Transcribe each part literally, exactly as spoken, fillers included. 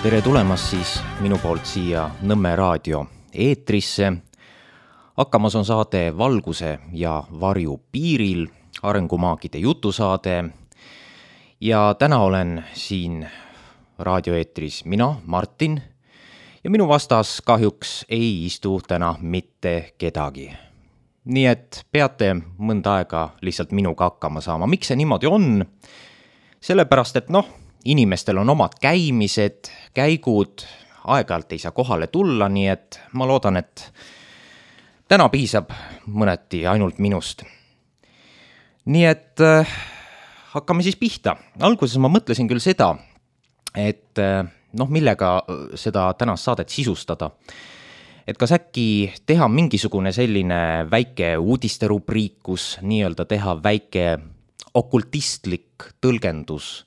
Tere tulemast siis minu poolt siia Nõmme raadio eetrisse. Hakkamas on saade Valguse ja varju piiril, arengumaagide jutusaade. Ja täna olen siin raadioeetris mina, Martin, ja minu vastas kahjuks ei istu täna mitte kedagi. Nii et peate mõnda aega lihtsalt minuga hakkama saama. Miks see niimoodi on? Sellepärast, et noh, inimestel on omad käimised, käigud, aeg-ajalt ei saa kohale tulla, nii et ma loodan, et täna piisab mõneti ainult minust. Nii et äh, hakkame siis pihta. Alguses ma mõtlesin küll seda, et äh, noh, millega seda tänast saadet sisustada. Et kas äkki teha mingisugune selline väike uudisterubriik, kus nii-öelda teha väike okultistlik tõlgendus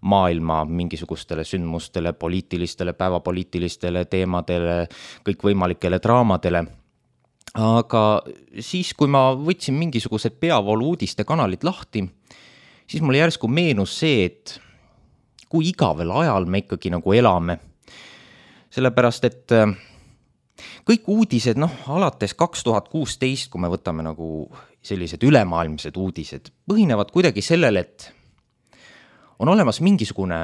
maailma mingisugustele sündmustele, poliitilistele, päevapoliitilistele teemadele, kõikvõimalikele draamadele. Aga siis, kui ma võtsin mingisugused peavoolu uudiste kanalid lahti, siis mulle järsku meenus see, et kui igavel ajal me ikkagi nagu elame. Sellepärast, et kõik uudised, noh, alates kaks tuhat kuusteist, kui me võtame nagu sellised ülemaailmsed uudised, põhinevad kuidagi sellele, et on olemas mingisugune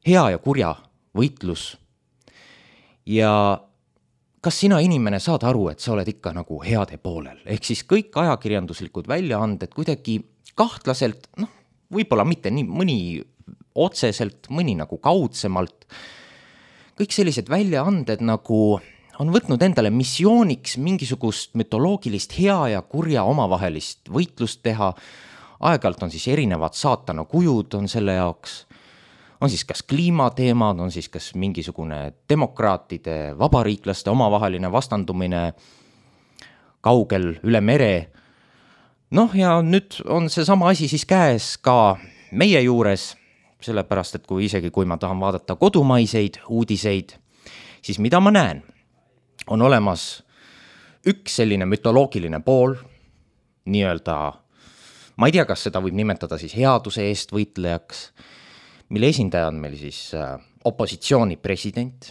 hea ja kurja võitlus. Ja kas sina inimene saad aru, et sa oled ikka nagu heade poolel? Ehk siis kõik ajakirjanduslikud väljaanded kuidagi kahtlaselt, noh, võib-olla mitte nii mõni otseselt, mõni nagu kaudsemalt. Kõik sellised väljaanded nagu on võtnud endale missiooniks mingisugust mütoloogilist hea ja kurja omavahelist võitlust teha. Aeg-ajalt on siis erinevad saatana kujud on selle jaoks, on siis kas kliimateemad, on siis kas mingisugune demokraatide, vabariiklaste omavaheline vastandumine kaugel üle mere. Noh, ja nüüd on see sama asi siis käes ka meie juures, sellepärast, et kui isegi kui ma tahan vaadata kodumaiseid uudiseid, siis mida ma näen? On olemas üks selline mütoloogiline pool, nii-öelda ma ei tea, kas seda võib nimetada siis headuse eest võitlejaks, mille esindaja on meil siis opositsiooni president,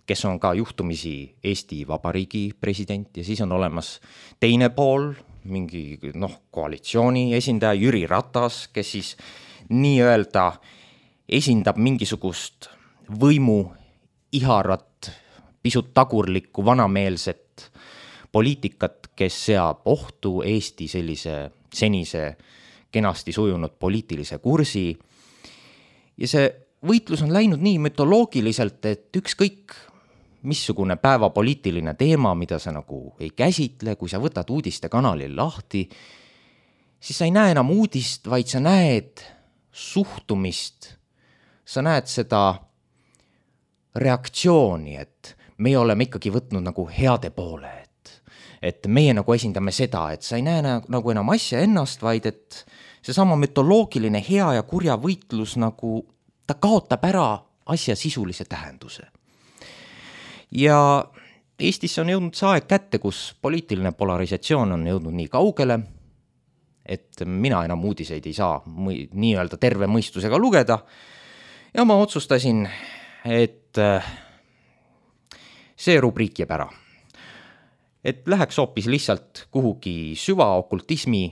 kes on ka juhtumisi Eesti Vabariigi president, ja siis on olemas teine pool, mingi noh, koalitsiooni esindaja Jüri Ratas, kes siis nii-öelda esindab mingisugust võimu iharat, pisut tagurlikku, vanameelset poliitikat, kes seab ohtu Eesti sellise senise kenasti sujunud poliitilise kursi. Ja see võitlus on läinud nii mütoloogiliselt, et ükskõik missugune päevapoliitiline teema, mida sa nagu ei käsitle, kui sa võtad uudiste kanalil lahti, siis sa ei näe enam uudist, vaid sa näed suhtumist, sa näed seda reaktsiooni, et me oleme ikkagi võtnud nagu heade poole, et meie nagu esindame seda, et sa ei näe nagu enam asja ennast, vaid et seesama mütoloogiline hea ja kurja võitlus nagu ta kaotab ära asja sisulise tähenduse. Ja Eestisse on jõudnud see aeg kätte, kus poliitiline polarisatsioon on jõudnud nii kaugele, et mina enam uudiseid ei saa nii-öelda terve mõistusega lugeda. Ja ma otsustasin, et see rubriik jääb ära. Et läheks hoopis lihtsalt kuhugi süvaokultismi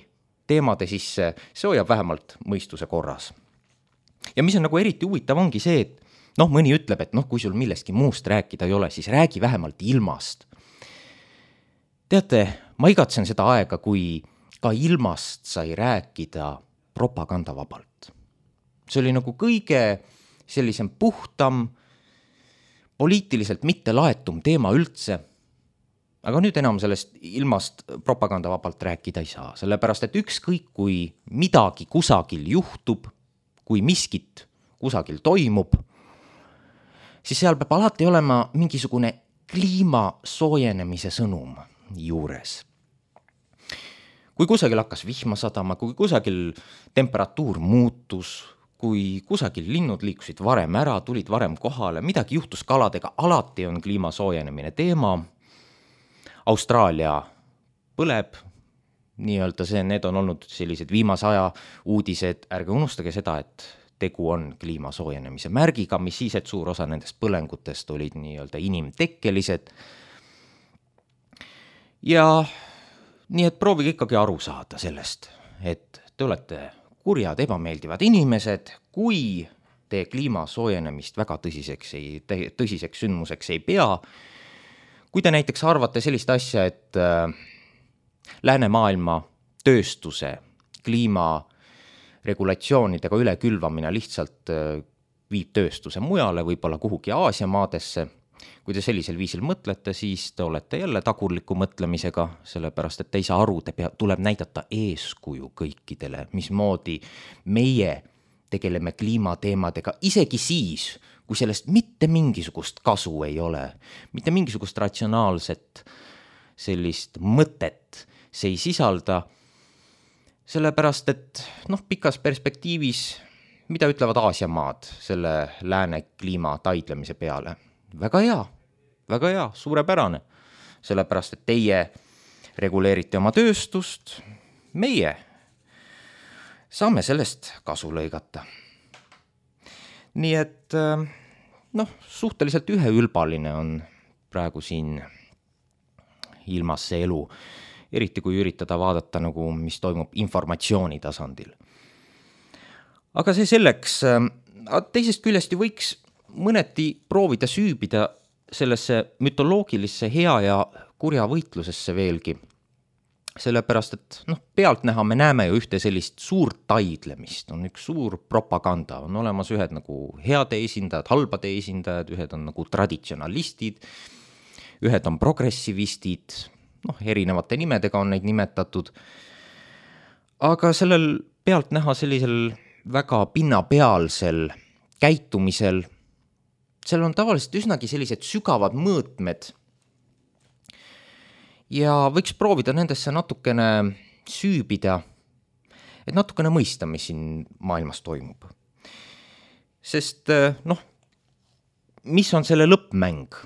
teemade sisse, see hoiab vähemalt mõistuse korras. Ja mis on nagu eriti huvitav ongi see, et noh, mõni ütleb, et noh, kui sul millestki muust rääkida ei ole, siis räägi vähemalt ilmast. Teate, ma igatsen seda aega, kui ka ilmast sai rääkida propagandavabalt. See oli nagu kõige sellisem puhtam, poliitiliselt mitte laetum teema üldse. Aga nüüd enam sellest ilmast propagandavabalt rääkida ei saa, sellepärast, et ükskõik kui midagi kusagil juhtub, kui miskit kusagil toimub, siis seal peab alati olema mingisugune kliima soojenemise sõnum juures. Kui kusagil hakkas vihma sadama, kui kusagil temperatuur muutus, kui kusagil linnud liikusid varem ära, tulid varem kohale, midagi juhtus kaladega, alati on kliima soojenemine teema. Austraalia põleb, nii-öelda see, need on olnud sellised viimase aja uudised, ärge unustage seda, et tegu on kliima soojenemise märgiga, mis siis, et suur osa nendest põlengutest olid nii-öelda inimtekkelised. Ja nii, et proovige ikkagi aru saada sellest, et te olete kurjad, ebameeldivad inimesed, kui te kliima soojenemist väga tõsiseks, ei, tõsiseks sündmuseks ei pea. Kui te näiteks arvate sellist asja, et äh, läänemaailma tööstuse kliima regulatsioonidega ülekülvamine lihtsalt viib tööstuse mujale, võib-olla kuhugi Aasia maadesse. Kui te sellisel viisil mõtlete, siis te olete jälle tagurliku mõtlemisega, sellepärast et te ei saa aru, te pea, tuleb näidata eeskuju kõikidele, mismoodi meie tegeleme kliimateemadega, isegi siis, kui sellest mitte mingisugust kasu ei ole, mitte mingisugust ratsionaalset sellist mõtet see ei sisalda. Sellepärast, et noh, pikas perspektiivis, mida ütlevad Aasia maad selle lääne kliima taidlemise peale? Väga hea, väga hea, suurepärane. Sellepärast, et teie reguleerite oma tööstust, meie saame sellest kasu lõigata. Nii et noh, suhteliselt üheülbaline on praegu siin ilmas see elu. Eriti kui üritada vaadata, nagu, mis toimub informatsiooni tasandil. Aga see selleks, teisest küljest ju võiks mõneti proovida süübida sellesse mütoloogilisse hea ja kurja võitlusesse veelgi. Sellepärast, et noh, pealtnäha me näeme ju ühte sellist suurt taidlemist, on üks suur propaganda, on olemas ühed nagu heade esindajad, halbade esindajad, ühed on nagu traditsionalistid, ühed on progressivistid, noh, erinevate nimedega on neid nimetatud, aga sellel pealt näha sellisel väga pinnapealsel käitumisel, seal on tavaliselt üsnagi sellised sügavad mõõtmed ja võiks proovida nendesse natukene süübida, et natukene mõista, mis siin maailmas toimub. Sest noh, mis on selle lõppmäng?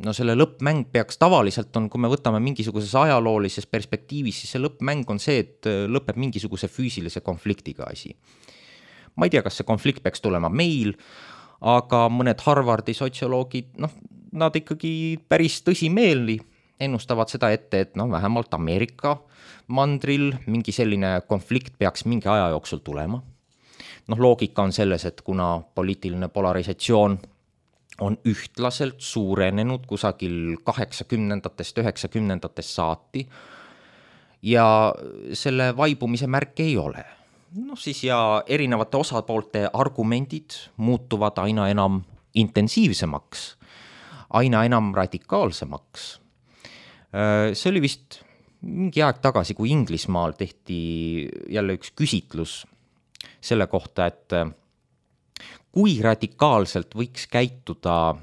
No selle lõppmäng peaks tavaliselt on, kui me võtame mingisuguses ajaloolises perspektiivis, siis see lõppmäng on see, et lõpeb mingisuguse füüsilise konfliktiga asi. Ma ei tea, kas see konflikt peaks tulema meil, aga mõned Harvardi sotsioloogid, noh, nad ikkagi päris tõsimeelni ennustavad seda ette, et noh, vähemalt Ameerika mandril mingi selline konflikt peaks mingi aja jooksul tulema. Noh, loogika on selles, et kuna poliitiline polarisatsioon on ühtlaselt suurenenud kusagil kaheksakümnendatest, üheksakümnendatest saati ja selle vaibumise märke ei ole. No siis ja erinevate osapoolte argumendid muutuvad aina enam intensiivsemaks, aina enam radikaalsemaks. See oli vist mingi aeg tagasi, kui Inglismaal tehti jälle üks küsitlus selle kohta, et kui radikaalselt võiks käituda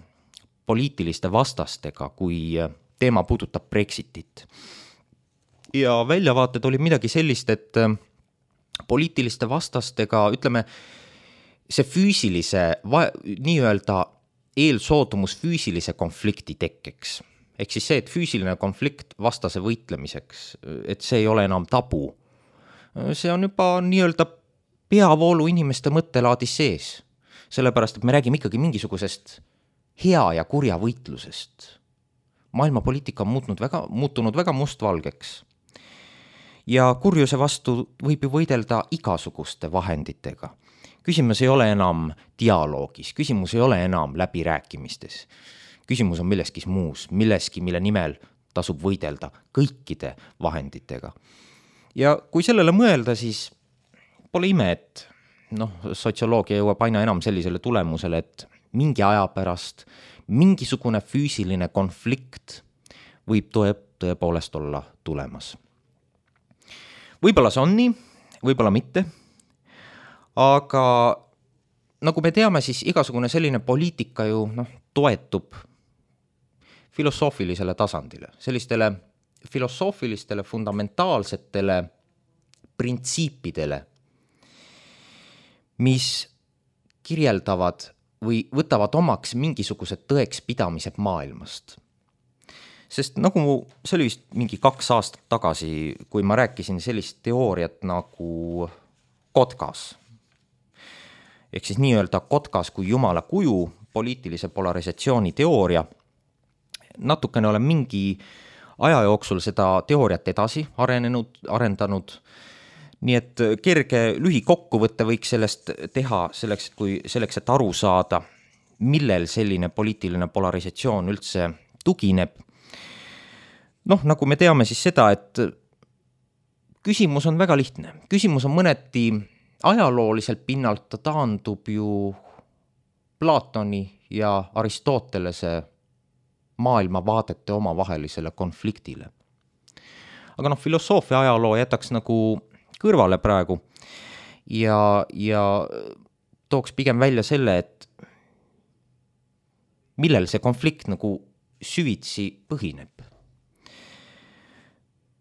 poliitiliste vastastega, kui teema puudutab Brexitit. Ja väljavaated oli midagi sellist, et poliitiliste vastastega, ütleme, see füüsilise, nii-öelda eelsoodumus füüsilise konflikti tekkeks. Ehk siis see, et füüsiline konflikt vastase võitlemiseks, et see ei ole enam tabu. See on juba nii-öelda peavoolu inimeste mõttelaadis sees. Sellepärast, et me räägime ikkagi mingisugusest hea ja kurja võitlusest. Maailmapoliitika on muutnud väga, muutunud väga mustvalgeks. Ja kurjuse vastu võib ju võidelda igasuguste vahenditega. Küsimus ei ole enam dialoogis, küsimus ei ole enam läbirääkimistes. Küsimus on milleski muus, milleski, mille nimel tasub võidelda kõikide vahenditega. Ja kui sellele mõelda, siis pole ime, et noh, sotsioloogia jõuab aina enam sellisele tulemusele, et mingi aja pärast mingisugune füüsiline konflikt võib tõe, tõepoolest olla tulemas. Võib-olla see on nii, võib-olla mitte, aga nagu me teame, siis igasugune selline poliitika ju noh, toetub filosoofilisele tasandile, sellistele filosoofilistele fundamentaalsetele printsiipidele, mis kirjeldavad või võtavad omaks mingisugused tõekspidamised maailmast. Sest nagu see oli vist mingi kaks aastat tagasi, kui ma rääkisin sellist teooriat nagu Kotkas. ehk siis nii-öelda kotkas kui jumala kuju, poliitilise polarisatsiooni teooria. Natukene olen mingi aja jooksul seda teooriat edasi arenenud, arendanud, nii et kerge lühikokkuvõtte võiks sellest teha selleks, et kui selleks, et aru saada, millel selline poliitiline polarisatsioon üldse tugineb. Noh, nagu me teame siis seda, et küsimus on väga lihtne. Küsimus on mõneti ajalooliselt pinnalt, ta taandub ju Platoni ja Aristotelese maailmavaadete omavahelisele konfliktile. Aga noh, filosoofia ajaloo jätaks nagu kõrvale praegu ja, ja tooks pigem välja selle, et millel see konflikt nagu süvitsi põhineb.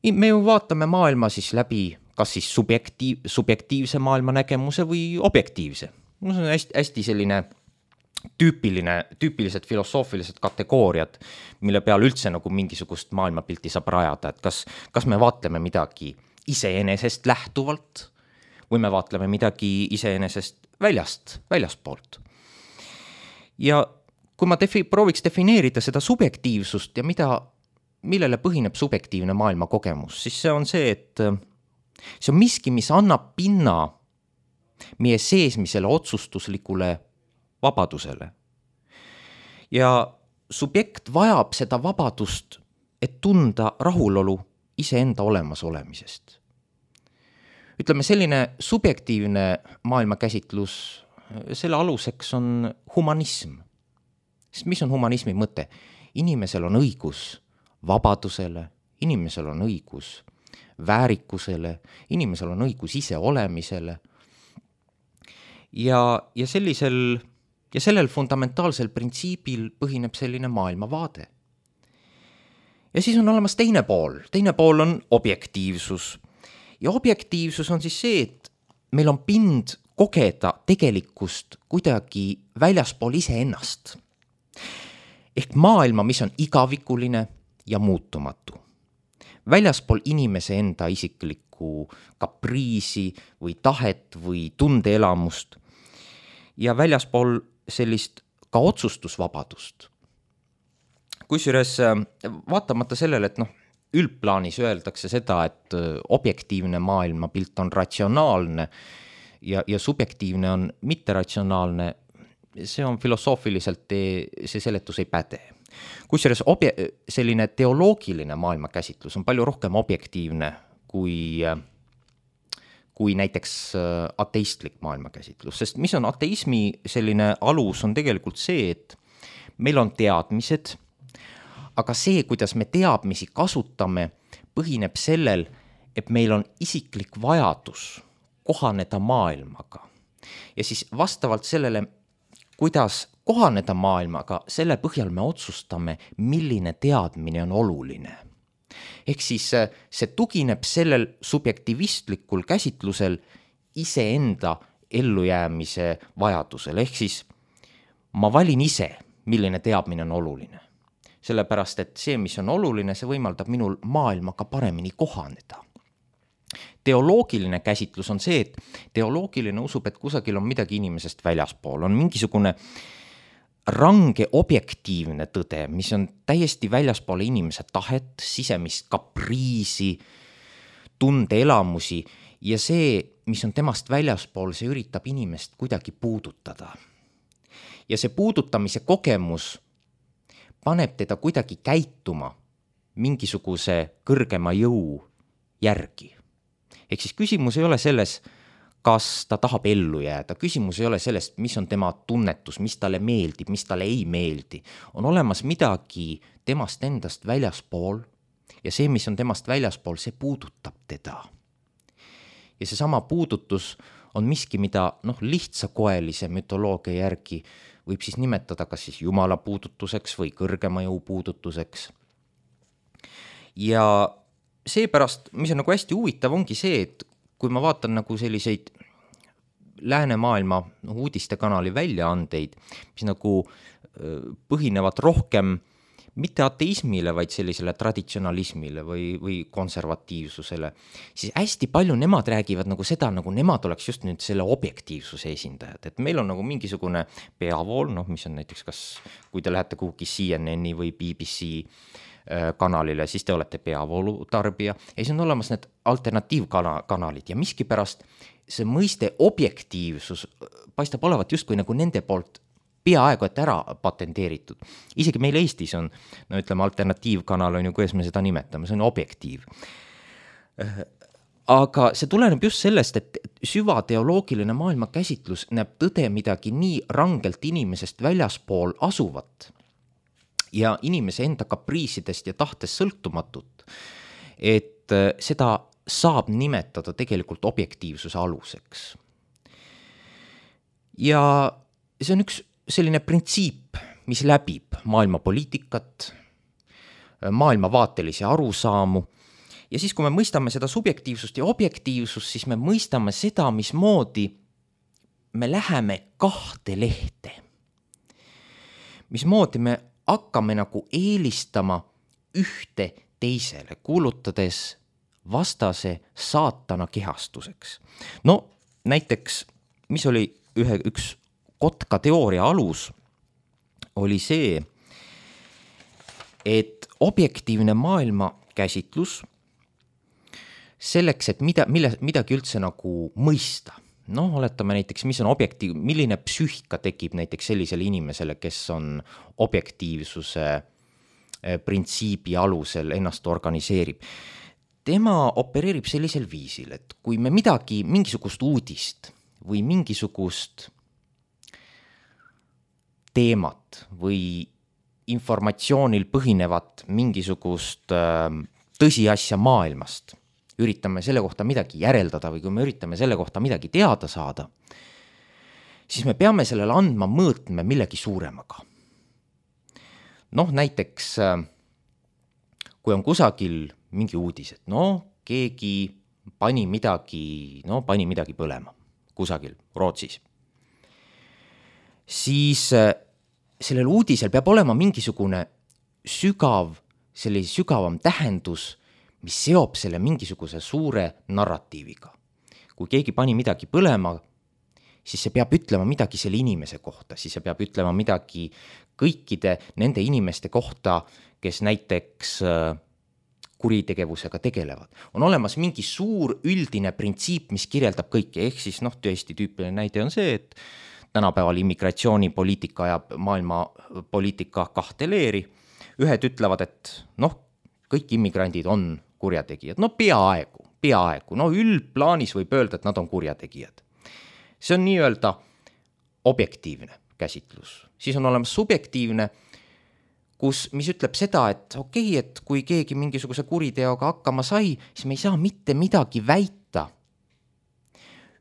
Me ju vaatame maailma siis läbi kas siis subjektiiv, subjektiivse maailma nägemuse või objektiivse. No see on hästi, hästi selline tüüpiline, tüüpilised filosoofilised kategooriad, mille peal üldse nagu mingisugust maailmapilti saab rajada, et kas, kas me vaatleme midagi iseenesest lähtuvalt või me vaatleme midagi iseenesest väljast, väljastpoolt. Ja kui ma defi, prooviks defineerida seda subjektiivsust ja mida, millele põhineb subjektiivne maailma kogemus, siis see on see, et see on miski, mis annab pinna meie seesmisele otsustuslikule vabadusele. Ja subjekt vajab seda vabadust, et tunda rahulolu iseenda olemas olemisest. Ütleme, selline subjektiivne maailmakäsitlus, selle aluseks on humanism. Sest mis on humanismi mõte? Inimesel on õigus vabadusele, inimesel on õigus väärikusele, inimesel on õigus ise olemisele. Ja, ja sellisel ja sellel fundamentaalsel printsiibil põhineb selline maailmavaade. Ja siis on olemas teine pool. Teine pool on objektiivsus. Ja objektiivsus on siis see, et meil on pind kogeda tegelikkust kuidagi väljaspool iseennast. Ehk maailma, mis on igavikuline ja muutumatu. Väljaspool inimese enda isiklikku kapriisi või tahet või tundeelamust ja väljaspool sellist ka otsustusvabadust. Kusjuures vaatamata sellele, et noh, üldplaanis öeldakse seda, et objektiivne maailmapilt on ratsionaalne ja, ja subjektiivne on mitteratsionaalne, see on filosoofiliselt, see seletus ei päde. Kusjuures obje, selline teoloogiline maailmakäsitlus on palju rohkem objektiivne kui, kui näiteks ateistlik maailmakäsitlus. Sest mis on ateismi selline alus, on tegelikult see, et meil on teadmised, aga see, kuidas me teadmisi kasutame, põhineb sellel, et meil on isiklik vajadus kohaneda maailmaga. Ja siis vastavalt sellele, kuidas kohaneda maailmaga, selle põhjal me otsustame, milline teadmine on oluline. Ehk siis see tugineb sellel subjektivistlikul käsitlusel iseenda ellujäämise vajadusel. Ehk siis ma valin ise, milline teadmine on oluline. Sellepärast, et see, mis on oluline, see võimaldab minul maailmaga paremini kohaneda. Teoloogiline käsitlus on see, et teoloogiline usub, et kusagil on midagi inimesest väljaspool. On mingisugune range objektiivne tõde, mis on täiesti väljaspool inimese tahet, sisemist kapriisi, tundeelamusi ja see, mis on temast väljaspool, see üritab inimest kuidagi puudutada. Ja see puudutamise kogemus paneb teda kuidagi käituma mingisuguse kõrgema jõu järgi. Ehk siis küsimus ei ole selles, kas ta tahab ellu jääda. Küsimus ei ole sellest, mis on tema tunnetus, mis talle meeldib, mis talle ei meeldi. On olemas midagi temast endast väljaspool ja see, mis on temast väljaspool, see puudutab teda. Ja see sama puudutus on miski, mida noh, lihtsakoelise mütoloogia järgi võib siis nimetada kas siis jumala puudutuseks või kõrgema jõu puudutuseks. Ja seepärast, mis on nagu hästi huvitav, ongi see, et kui ma vaatan nagu selliseid läänemaailma uudiste kanali väljaandeid, mis nagu põhinevad rohkem mitte ateismile, vaid sellisele traditsionalismile või, või konservatiivsusele, siis hästi palju nemad räägivad nagu seda, nagu nemad oleks just nüüd selle objektiivsuse esindajad, et meil on nagu mingisugune peavool, noh, mis on näiteks kas, kui te lähete kuhugi C N N-i või B B C kanalile, siis te olete peavoolu tarbija ja siis on olemas need alternatiivkanalid ja miskipärast see mõiste objektiivsus paistab olevat justkui nagu nende poolt peaaegu et ära patenteeritud. Isegi meil Eestis on, no ütleme, alternatiivkanal on ju, kuidas me seda nimetame, see on objektiiv. Aga see tuleneb just sellest, et süvateoloogiline maailmakäsitlus näeb tõde midagi nii rangelt inimesest väljaspool asuvat ja inimese enda kapriisidest ja tahtest sõltumatut, et seda saab nimetada tegelikult objektiivsuse aluseks. Ja see on üks selline printsiip, mis läbib maailmapoliitikat, maailmavaatelisi arusaamu ja siis, kui me mõistame seda subjektiivsust ja objektiivsust, siis me mõistame seda, mismoodi me läheme kahte lehte. Mismoodi me hakkame nagu eelistama ühte teisele, kuulutades vastase saatana kehastuseks. No näiteks, mis oli ühe, üks kotka teooria alus, oli see, et objektiivne maailma käsitlus selleks, et mida, mille, midagi üldse nagu mõista. Noh, oletame näiteks, mis on objektiiv, milline psüühika tekib näiteks sellisele inimesele, kes on objektiivsuse printsiibi alusel ennast organiseerib. Tema opereerib sellisel viisil, et kui me midagi, mingisugust uudist või mingisugust teemat või informatsioonil põhinevat mingisugust tõsiasja maailmast, üritame selle kohta midagi järeldada või kui me üritame selle kohta midagi teada saada, siis me peame sellele andma mõõtme millegi suuremaga. Noh, näiteks kui on kusagil mingi uudis, et no keegi pani midagi, no pani midagi põlema kusagil Rootsis, siis sellel uudisel peab olema mingisugune sügav, selline sügavam tähendus, mis seob selle mingisuguse suure narratiiviga. Kui keegi pani midagi põlema, siis see peab ütlema midagi selle inimese kohta, siis see peab ütlema midagi kõikide nende inimeste kohta, kes näiteks kuritegevusega tegelevad. On olemas mingi suur üldine printsiip, mis kirjeldab kõike, ehk siis noh, tõesti tüüpiline näide on see, et tänapäeval immigratsioonipoliitika ajab maailma poliitika kahte leeri. Ühed ütlevad, et noh, kõik immigrandid on kurjategijad. No peaaegu, peaaegu. No üldplaanis võib öelda, et nad on kurjategijad. See on nii-öelda objektiivne käsitlus. Siis on olemas subjektiivne, kus, mis ütleb seda, et okei, okay, et kui keegi mingisuguse kuriteoga hakkama sai, siis me ei saa mitte midagi väita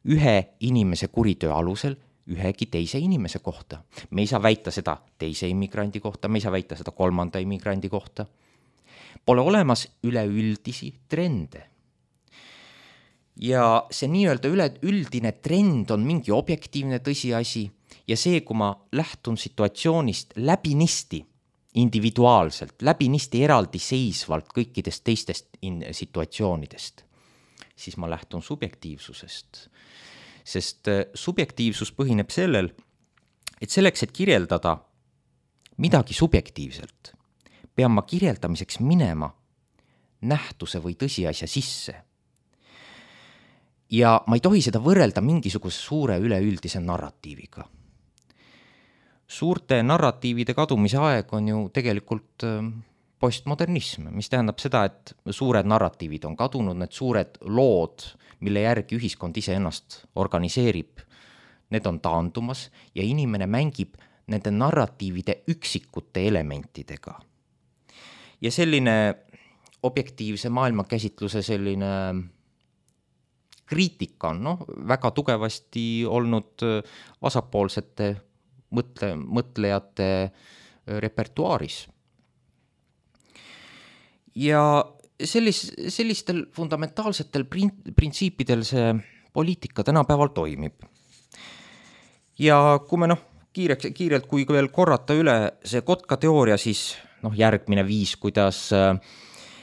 ühe inimese kuritöö alusel ühegi teise inimese kohta. Me ei saa väita seda teise immigrandi kohta, me ei saa väita seda kolmanda immigrandi kohta. Pole olemas üleüldisi trende. Ja see nii-öelda üle, üldine trend on mingi objektiivne tõsiasi ja see, kui ma lähtun situatsioonist läbinisti, individuaalselt, läbinisti eraldi seisvalt kõikidest teistest in- situatsioonidest, siis ma lähtun subjektiivsusest. Sest subjektiivsus põhineb sellel, et selleks, et kirjeldada midagi subjektiivselt, pean ma kirjeldamiseks minema nähtuse või tõsiasja sisse. Ja ma ei tohi seda võrrelda mingisuguse suure üleüldise narratiiviga. Suurte narratiivide kadumise aeg on ju tegelikult postmodernism, mis tähendab seda, et suured narratiivid on kadunud, need suured lood, mille järgi ühiskond ise ennast organiseerib, need on taandumas ja inimene mängib nende narratiivide üksikute elementidega. Ja selline objektiivse maailmakäsitluse selline kriitika on no, väga tugevasti olnud vasakpoolsete mõtle, mõtlejate repertuaaris. Ja sellis, sellistel fundamentaalsetel printsiipidel see poliitika tänapäeval toimib. Ja kui me noh, kiireks, kiirelt, kui veel korrata üle see kotka teooria, siis noh, järgmine viis, kuidas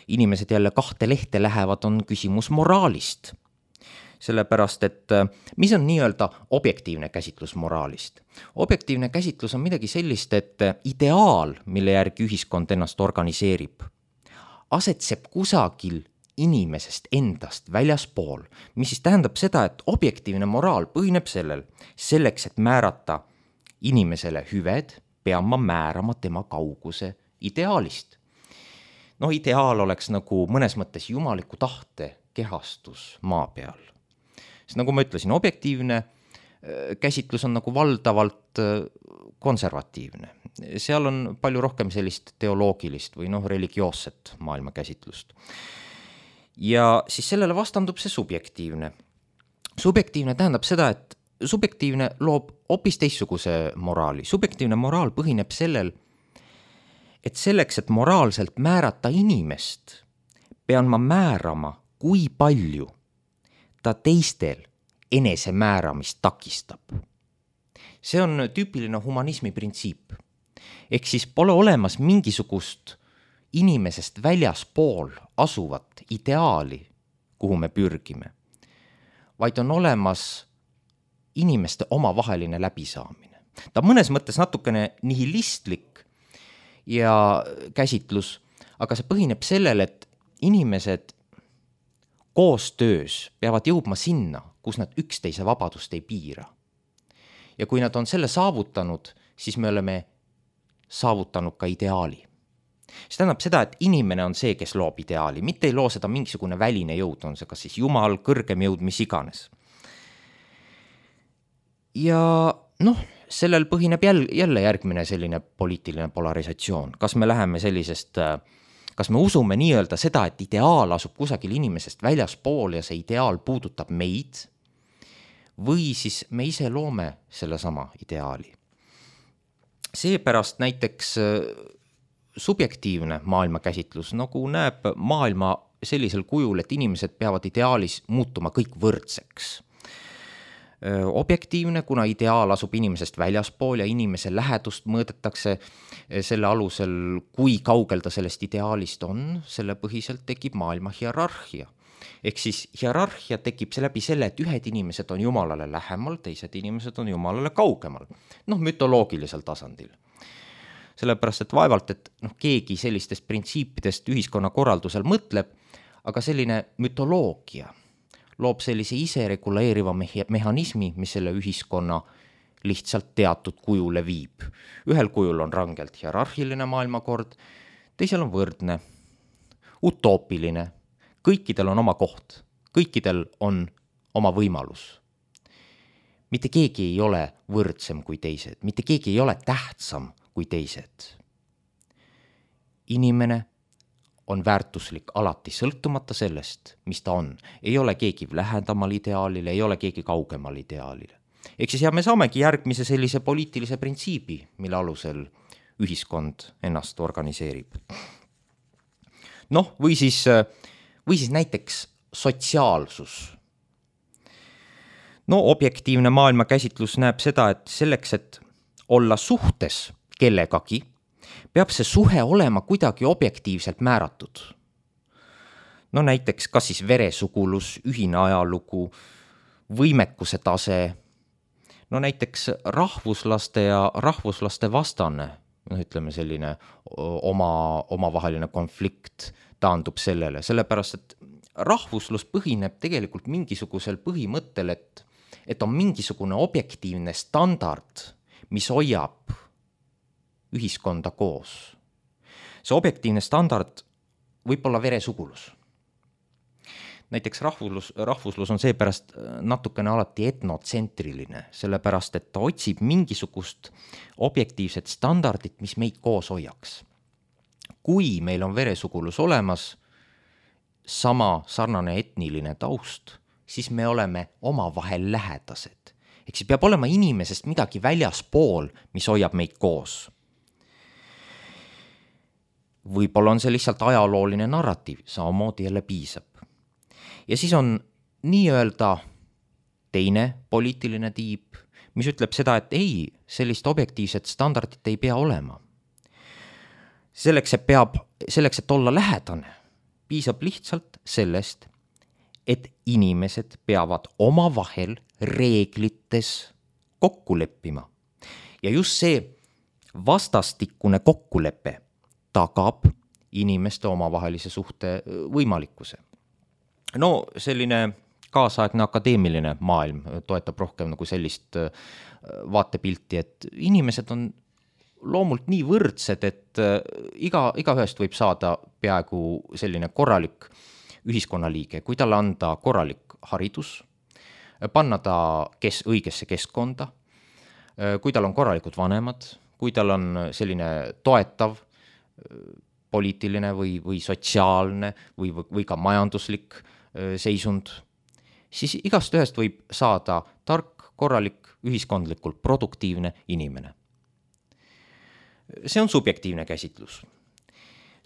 inimesed jälle kahte lehte lähevad, on küsimus moraalist. Sellepärast, et mis on nii-öelda objektiivne käsitlus moraalist? Objektiivne käsitlus on midagi sellist, et ideaal, mille järgi ühiskond ennast organiseerib, asetseb kusagil inimesest endast väljaspool, mis siis tähendab seda, et objektiivne moraal põhineb sellel, selleks, et määrata inimesele hüved, pean ma määrama tema kauguse ideaalist. No ideaal oleks nagu mõnes mõttes jumaliku tahte kehastus maa peal. Sest nagu ma ütlesin, objektiivne käsitlus on nagu valdavalt konservatiivne. Seal on palju rohkem sellist teoloogilist või noh, religioosset maailmakäsitlust. Ja siis sellele vastandub see subjektiivne. Subjektiivne tähendab seda, et subjektiivne loob hoopis teistsuguse moraali. Subjektiivne moraal põhineb sellel, et selleks, et moraalselt määrata inimest, pean ma määrama, kui palju ta teistel enesemääramist takistab. See on tüüpiline humanismi printsiip. Ehk siis pole olemas mingisugust inimesest väljaspool asuvat ideaali, kuhu me pürgime, vaid on olemas inimeste omavaheline läbisaamine. Ta on mõnes mõttes natukene nihilistlik ja käsitlus, aga see põhineb sellel, et inimesed koostöös peavad jõudma sinna, kus nad üksteise vabadust ei piira. Ja kui nad on selle saavutanud, siis me oleme saavutanud ka ideaali. See tähendab seda, et inimene on see, kes loob ideaali, mitte ei loo seda mingisugune väline jõud, on see kas siis Jumal, kõrgem jõud, mis iganes. Ja noh, sellel põhineb jälle, jälle järgmine selline poliitiline polarisatsioon. Kas me läheme sellisest, kas me usume nii-öelda seda, et ideaal asub kusagil inimesest väljaspool ja see ideaal puudutab meid, või siis me ise loome selle sama ideaali. Seepärast näiteks subjektiivne maailmakäsitlus nagu näeb maailma sellisel kujul, et inimesed peavad ideaalis muutuma kõik võrdseks. Objektiivne, kuna ideaal asub inimesest väljaspool ja inimese lähedust mõõdetakse selle alusel, kui kaugel ta sellest ideaalist on, selle põhiselt tekib maailma hierarhia. Ehk siis hierarhia tekib läbi selle, et ühed inimesed on Jumalale lähemal, teised inimesed on Jumalale kaugemal. Noh, mütoloogilisel tasandil. Sellepärast, et vaevalt, et noh, keegi sellistest printsiipidest ühiskonna korraldusel mõtleb, aga selline mütoloogia loob sellise isereguleeriva mehhanismi, mis selle ühiskonna lihtsalt teatud kujule viib. Ühel kujul on rangelt hierarhiline maailmakord, teisel on võrdne, utoopiline, kõikidel on oma koht, kõikidel on oma võimalus. Mitte keegi ei ole võrdsem kui teised, mitte keegi ei ole tähtsam kui teised. Inimene on väärtuslik alati sõltumata sellest, mis ta on. Ei ole keegi lähedamal ideaalile, ei ole keegi kaugemal ideaalile. Ehk siis ja me saamegi järgmise sellise poliitilise printsiibi, mille alusel ühiskond ennast organiseerib. Noh, või siis, või siis näiteks sotsiaalsus. No objektiivne maailmakäsitlus näeb seda, et selleks, et olla suhtes kellegagi, peab see suhe olema kuidagi objektiivselt määratud. No näiteks kas siis veresugulus, ühine ajalugu, võimekuse tase, no näiteks rahvuslaste ja rahvuslaste vastane, no ütleme selline oma, omavaheline konflikt taandub sellele, sellepärast et rahvuslus põhineb tegelikult mingisugusel põhimõttel, et, et on mingisugune objektiivne standard, mis hoiab ühiskonda koos. See objektiivne standard võib olla veresugulus. Näiteks rahvuslus, rahvuslus on seepärast natukene alati etnotsentriline, sellepärast et ta otsib mingisugust objektiivset standardit, mis meid koos hoiaks. Kui meil on veresugulus olemas, sama sarnane etniline taust, siis me oleme omavahel lähedased. Ehk siis peab olema inimesest midagi väljaspool, mis hoiab meid koos. Võib-olla on see lihtsalt ajalooline narratiiv, samamoodi jälle piisab. Ja siis on nii-öelda teine poliitiline tiib, mis ütleb seda, et ei, sellist objektiivset standardit ei pea olema. selleks, et peab, selleks, et olla lähedane, piisab lihtsalt sellest, et inimesed peavad omavahel reeglites kokku leppima. Ja just see vastastikune kokkulepe tagab inimeste omavahelise suhte võimalikkuse. No selline kaasaegne akadeemiline maailm toetab rohkem nagu sellist vaatepilti, et inimesed on loomult nii võrdsed, et iga, igaühest võib saada peaaegu selline korralik ühiskonnaliige, kui talle anda korralik haridus, panna ta kes, õigesse keskkonda, kui tal on korralikud vanemad, kui tal on selline toetav poliitiline või, või sotsiaalne või, või ka majanduslik seisund, siis igast ühest võib saada tark, korralik, ühiskondlikult produktiivne inimene. See on subjektiivne käsitlus.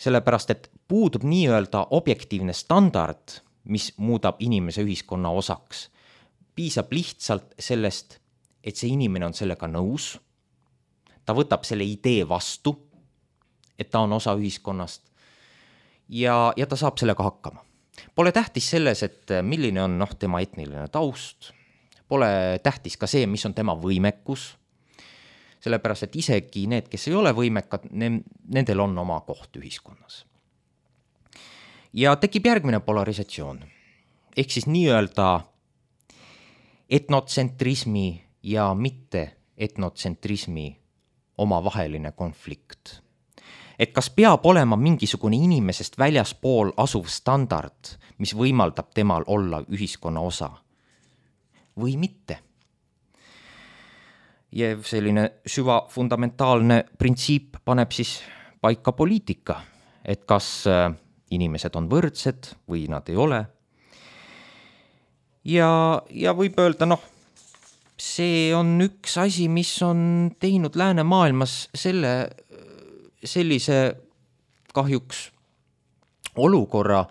Sellepärast, et puudub nii-öelda objektiivne standard, mis muudab inimese ühiskonna osaks. Piisab lihtsalt sellest, et see inimene on sellega nõus, ta võtab selle idee vastu, et ta on osa ühiskonnast ja, ja ta saab sellega hakkama. Pole tähtis selles, et milline on noh, tema etniline taust, pole tähtis ka see, mis on tema võimekus, sellepärast, et isegi need, kes ei ole võimekad, nendel on oma koht ühiskonnas. Ja tekib järgmine polarisatsioon, ehk siis nii-öelda etnotsentrismi ja mitte etnotsentrismi omavaheline konflikt. Et kas peab olema mingisugune inimesest väljaspool asuv standard, mis võimaldab temal olla ühiskonna osa või mitte. Ja selline süva fundamentaalne printsiip paneb siis paika poliitika, et kas inimesed on võrdsed või nad ei ole. Ja, ja võib öelda, noh, see on üks asi, mis on teinud läänemaailmas selle, sellise kahjuks olukorra,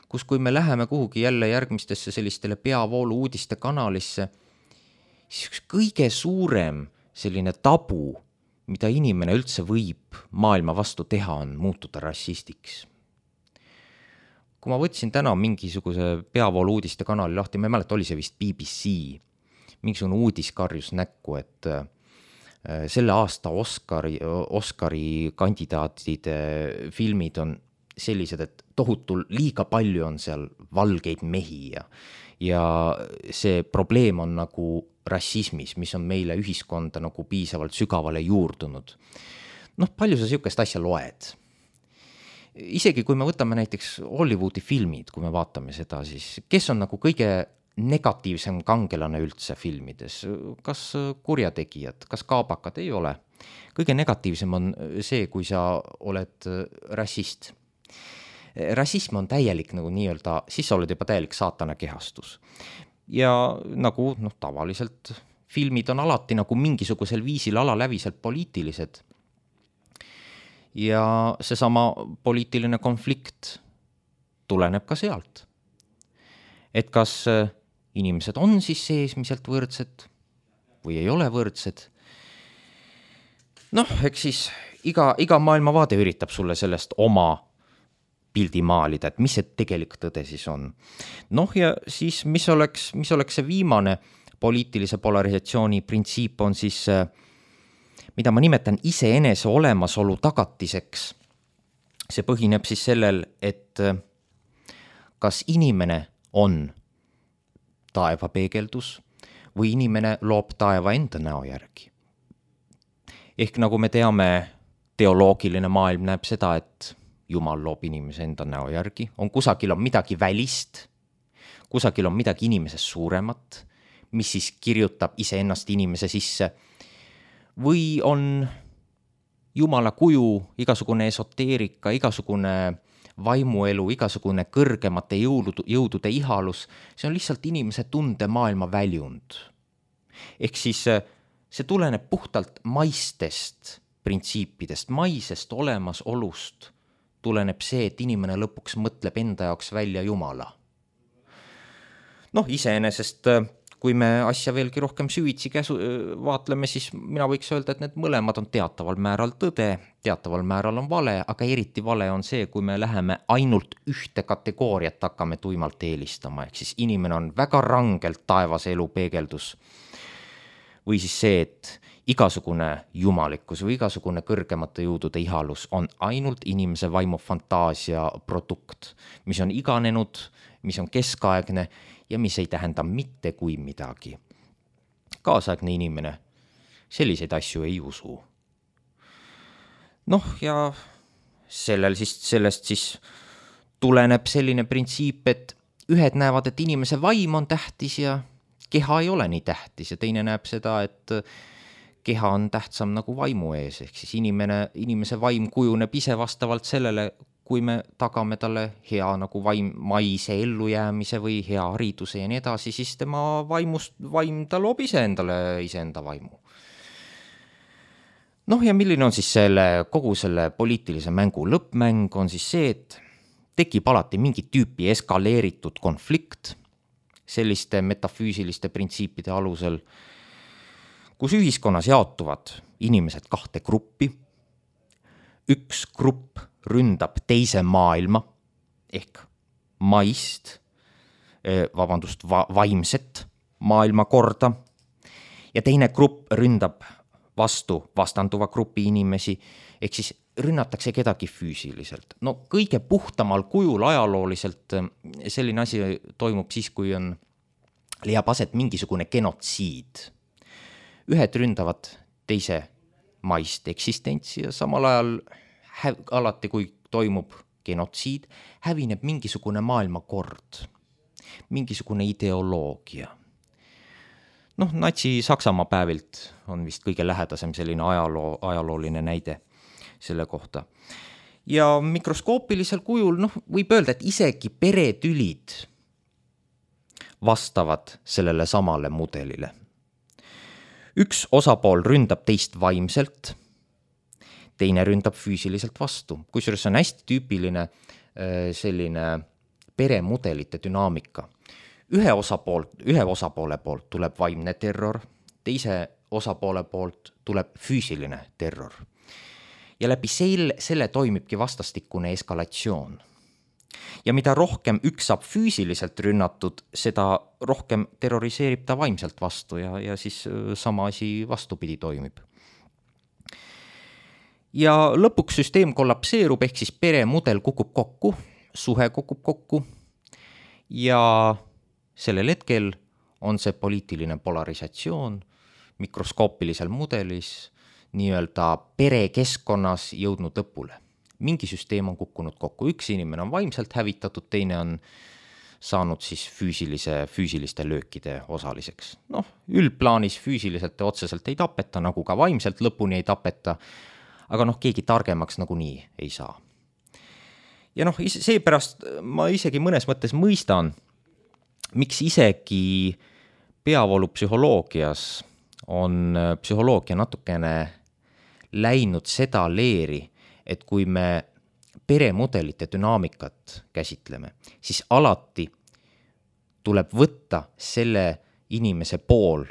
kus kui me läheme kuhugi jälle järgmistesse sellistele peavoolu uudiste kanalisse, siis kõige suurem selline tabu, mida inimene üldse võib maailma vastu teha, on muutuda rassistiks. Kui ma võtsin täna mingisuguse peavoolu uudiste kanali lahti, ma ei mäleta, oli see vist B B C, mingisugune uudis karjus näkku, et selle aasta Oscari, Oscari kandidaatide filmid on sellised, et tohutul liiga palju on seal valgeid mehi ja, ja see probleem on nagu rassismis, mis on meile ühiskonda nagu piisavalt sügavale juurdunud. Noh, palju sa sihukest asja loed? Isegi kui me võtame näiteks Hollywoodi filmid, kui me vaatame seda, siis kes on nagu kõige negatiivsem kangelane üldse filmides? Kas kurjategijad, kas kaabakad? Ei ole. Kõige negatiivsem on see, kui sa oled rassist. Rassism on täielik nagu nii-öelda, siis sa oled juba täielik saatana kehastus. Ja nagu noh, tavaliselt filmid on alati nagu mingisugusel viisil alaläviselt poliitilised. Ja seesama poliitiline konflikt tuleneb ka sealt. Et kas inimesed on siis seesmiselt võrdsed või ei ole võrdsed? Noh, eks siis iga, iga maailmavaade üritab sulle sellest oma pildi maalida, et mis see tegelik tõde siis on. Noh, ja siis mis oleks, mis oleks see viimane poliitilise polarisatsiooni printsiip on siis, mida ma nimetan iseenese olemasolu tagatiseks. See põhineb siis sellel, et kas inimene on taeva peegeldus või inimene loob taeva enda näo järgi. Ehk nagu me teame, teoloogiline maailm näeb seda, et Jumal loob inimese enda näo järgi, on kusagil on midagi välist, kusagil on midagi inimesest suuremat, mis siis kirjutab iseennast inimese sisse, või on Jumala kuju, igasugune esoteerika, igasugune vaimuelu, igasugune kõrgemate jõudude, jõudude ihalus, see on lihtsalt inimese tunde maailma väljund. Ehk siis see tuleneb puhtalt maistest printsiipidest, maisest olemasolust tuleneb see, et inimene lõpuks mõtleb enda jaoks välja Jumala. Noh, iseenesest, kui me asja veelgi rohkem süvitsi käsu, vaatleme, siis mina võiks öelda, et need mõlemad on teataval määral tõde, teataval määral on vale, aga eriti vale on see, kui me läheme ainult ühte kategooriat hakkame tuimalt eelistama, ehk siis inimene on väga rangelt taevase elu peegeldus. Või siis see, et igasugune jumalikkus või igasugune kõrgemate jõudude ihalus on ainult inimese vaimu fantaasia produkt, mis on iganenud, mis on keskaegne ja mis ei tähenda mitte kui midagi. Kaasaegne inimene selliseid asju ei usu. Noh, ja sellel siis, sellest siis tuleneb selline printsiip, et ühed näevad, et inimese vaim on tähtis ja keha ei ole nii tähtis ja teine näeb seda, et keha on tähtsam nagu vaimu ees, ehk siis inimene, inimese vaim kujuneb ise vastavalt sellele, kui me tagame talle hea nagu vaim, maise ellujäämise või hea hariduse ja nii edasi, siis tema vaimust, vaim ta loob ise endale iseenda vaimu. Noh, ja milline on siis selle, kogu selle poliitilise mängu lõppmäng on siis see, et tekib alati mingi tüüpi eskaleeritud konflikt selliste metafüüsiliste printsiipide alusel, kus ühiskonnas jaotuvad inimesed kahte gruppi. Üks grupp ründab teise maailma ehk maist, vabandust, va- vaimset maailmakorda ja teine grupp ründab vastu vastanduva grupi inimesi, ehk siis rünnatakse kedagi füüsiliselt. No kõige puhtamal kujul ajalooliselt selline asi toimub siis, kui on, leiab aset mingisugune genotsiid. Ühed ründavad teise maist eksistentsi ja samal ajal häv, alati, kui toimub genotsiid, hävineb mingisugune maailmakord, mingisugune ideoloogia. Noh, natsi-Saksamaa päevilt on vist kõige lähedasem selline ajaloo, ajalooline näide selle kohta. Ja mikroskoopilisel kujul, noh, võib öelda, et isegi peretülid vastavad sellele samale mudelile. Üks osapool ründab teist vaimselt, teine ründab füüsiliselt vastu. Kusjuures on hästi tüüpiline selline peremudelite dünaamika. Ühe, osapoolt, ühe osapoole poolt tuleb vaimne terror, teise osapoole poolt tuleb füüsiline terror. Ja läbi selle, selle toimibki vastastikune eskalatsioon. Ja mida rohkem üks saab füüsiliselt rünnatud, seda rohkem terroriseerib ta vaimselt vastu ja, ja siis sama asi vastupidi toimib. Ja lõpuks süsteem kollapseerub, ehk siis peremudel kukub kokku, suhe kukub kokku ja sellel hetkel on see poliitiline polarisatsioon mikroskoopilisel mudelis nii-öelda perekeskkonnas jõudnud lõpule. Mingi süsteem on kukkunud kokku, üks inimene on vaimselt hävitatud, teine on saanud siis füüsilise, füüsiliste löökide osaliseks. Noh, üldplaanis füüsiliselt ja otseselt ei tapeta, nagu ka vaimselt lõpuni ei tapeta, aga noh, keegi targemaks nagu nii ei saa. Ja noh, seepärast ma isegi mõnes mõttes mõistan, miks isegi peavoolupsühholoogias on psühholoogia natukene läinud seda leeri, et kui me peremudelite dünaamikat käsitleme, siis alati tuleb võtta selle inimese pool,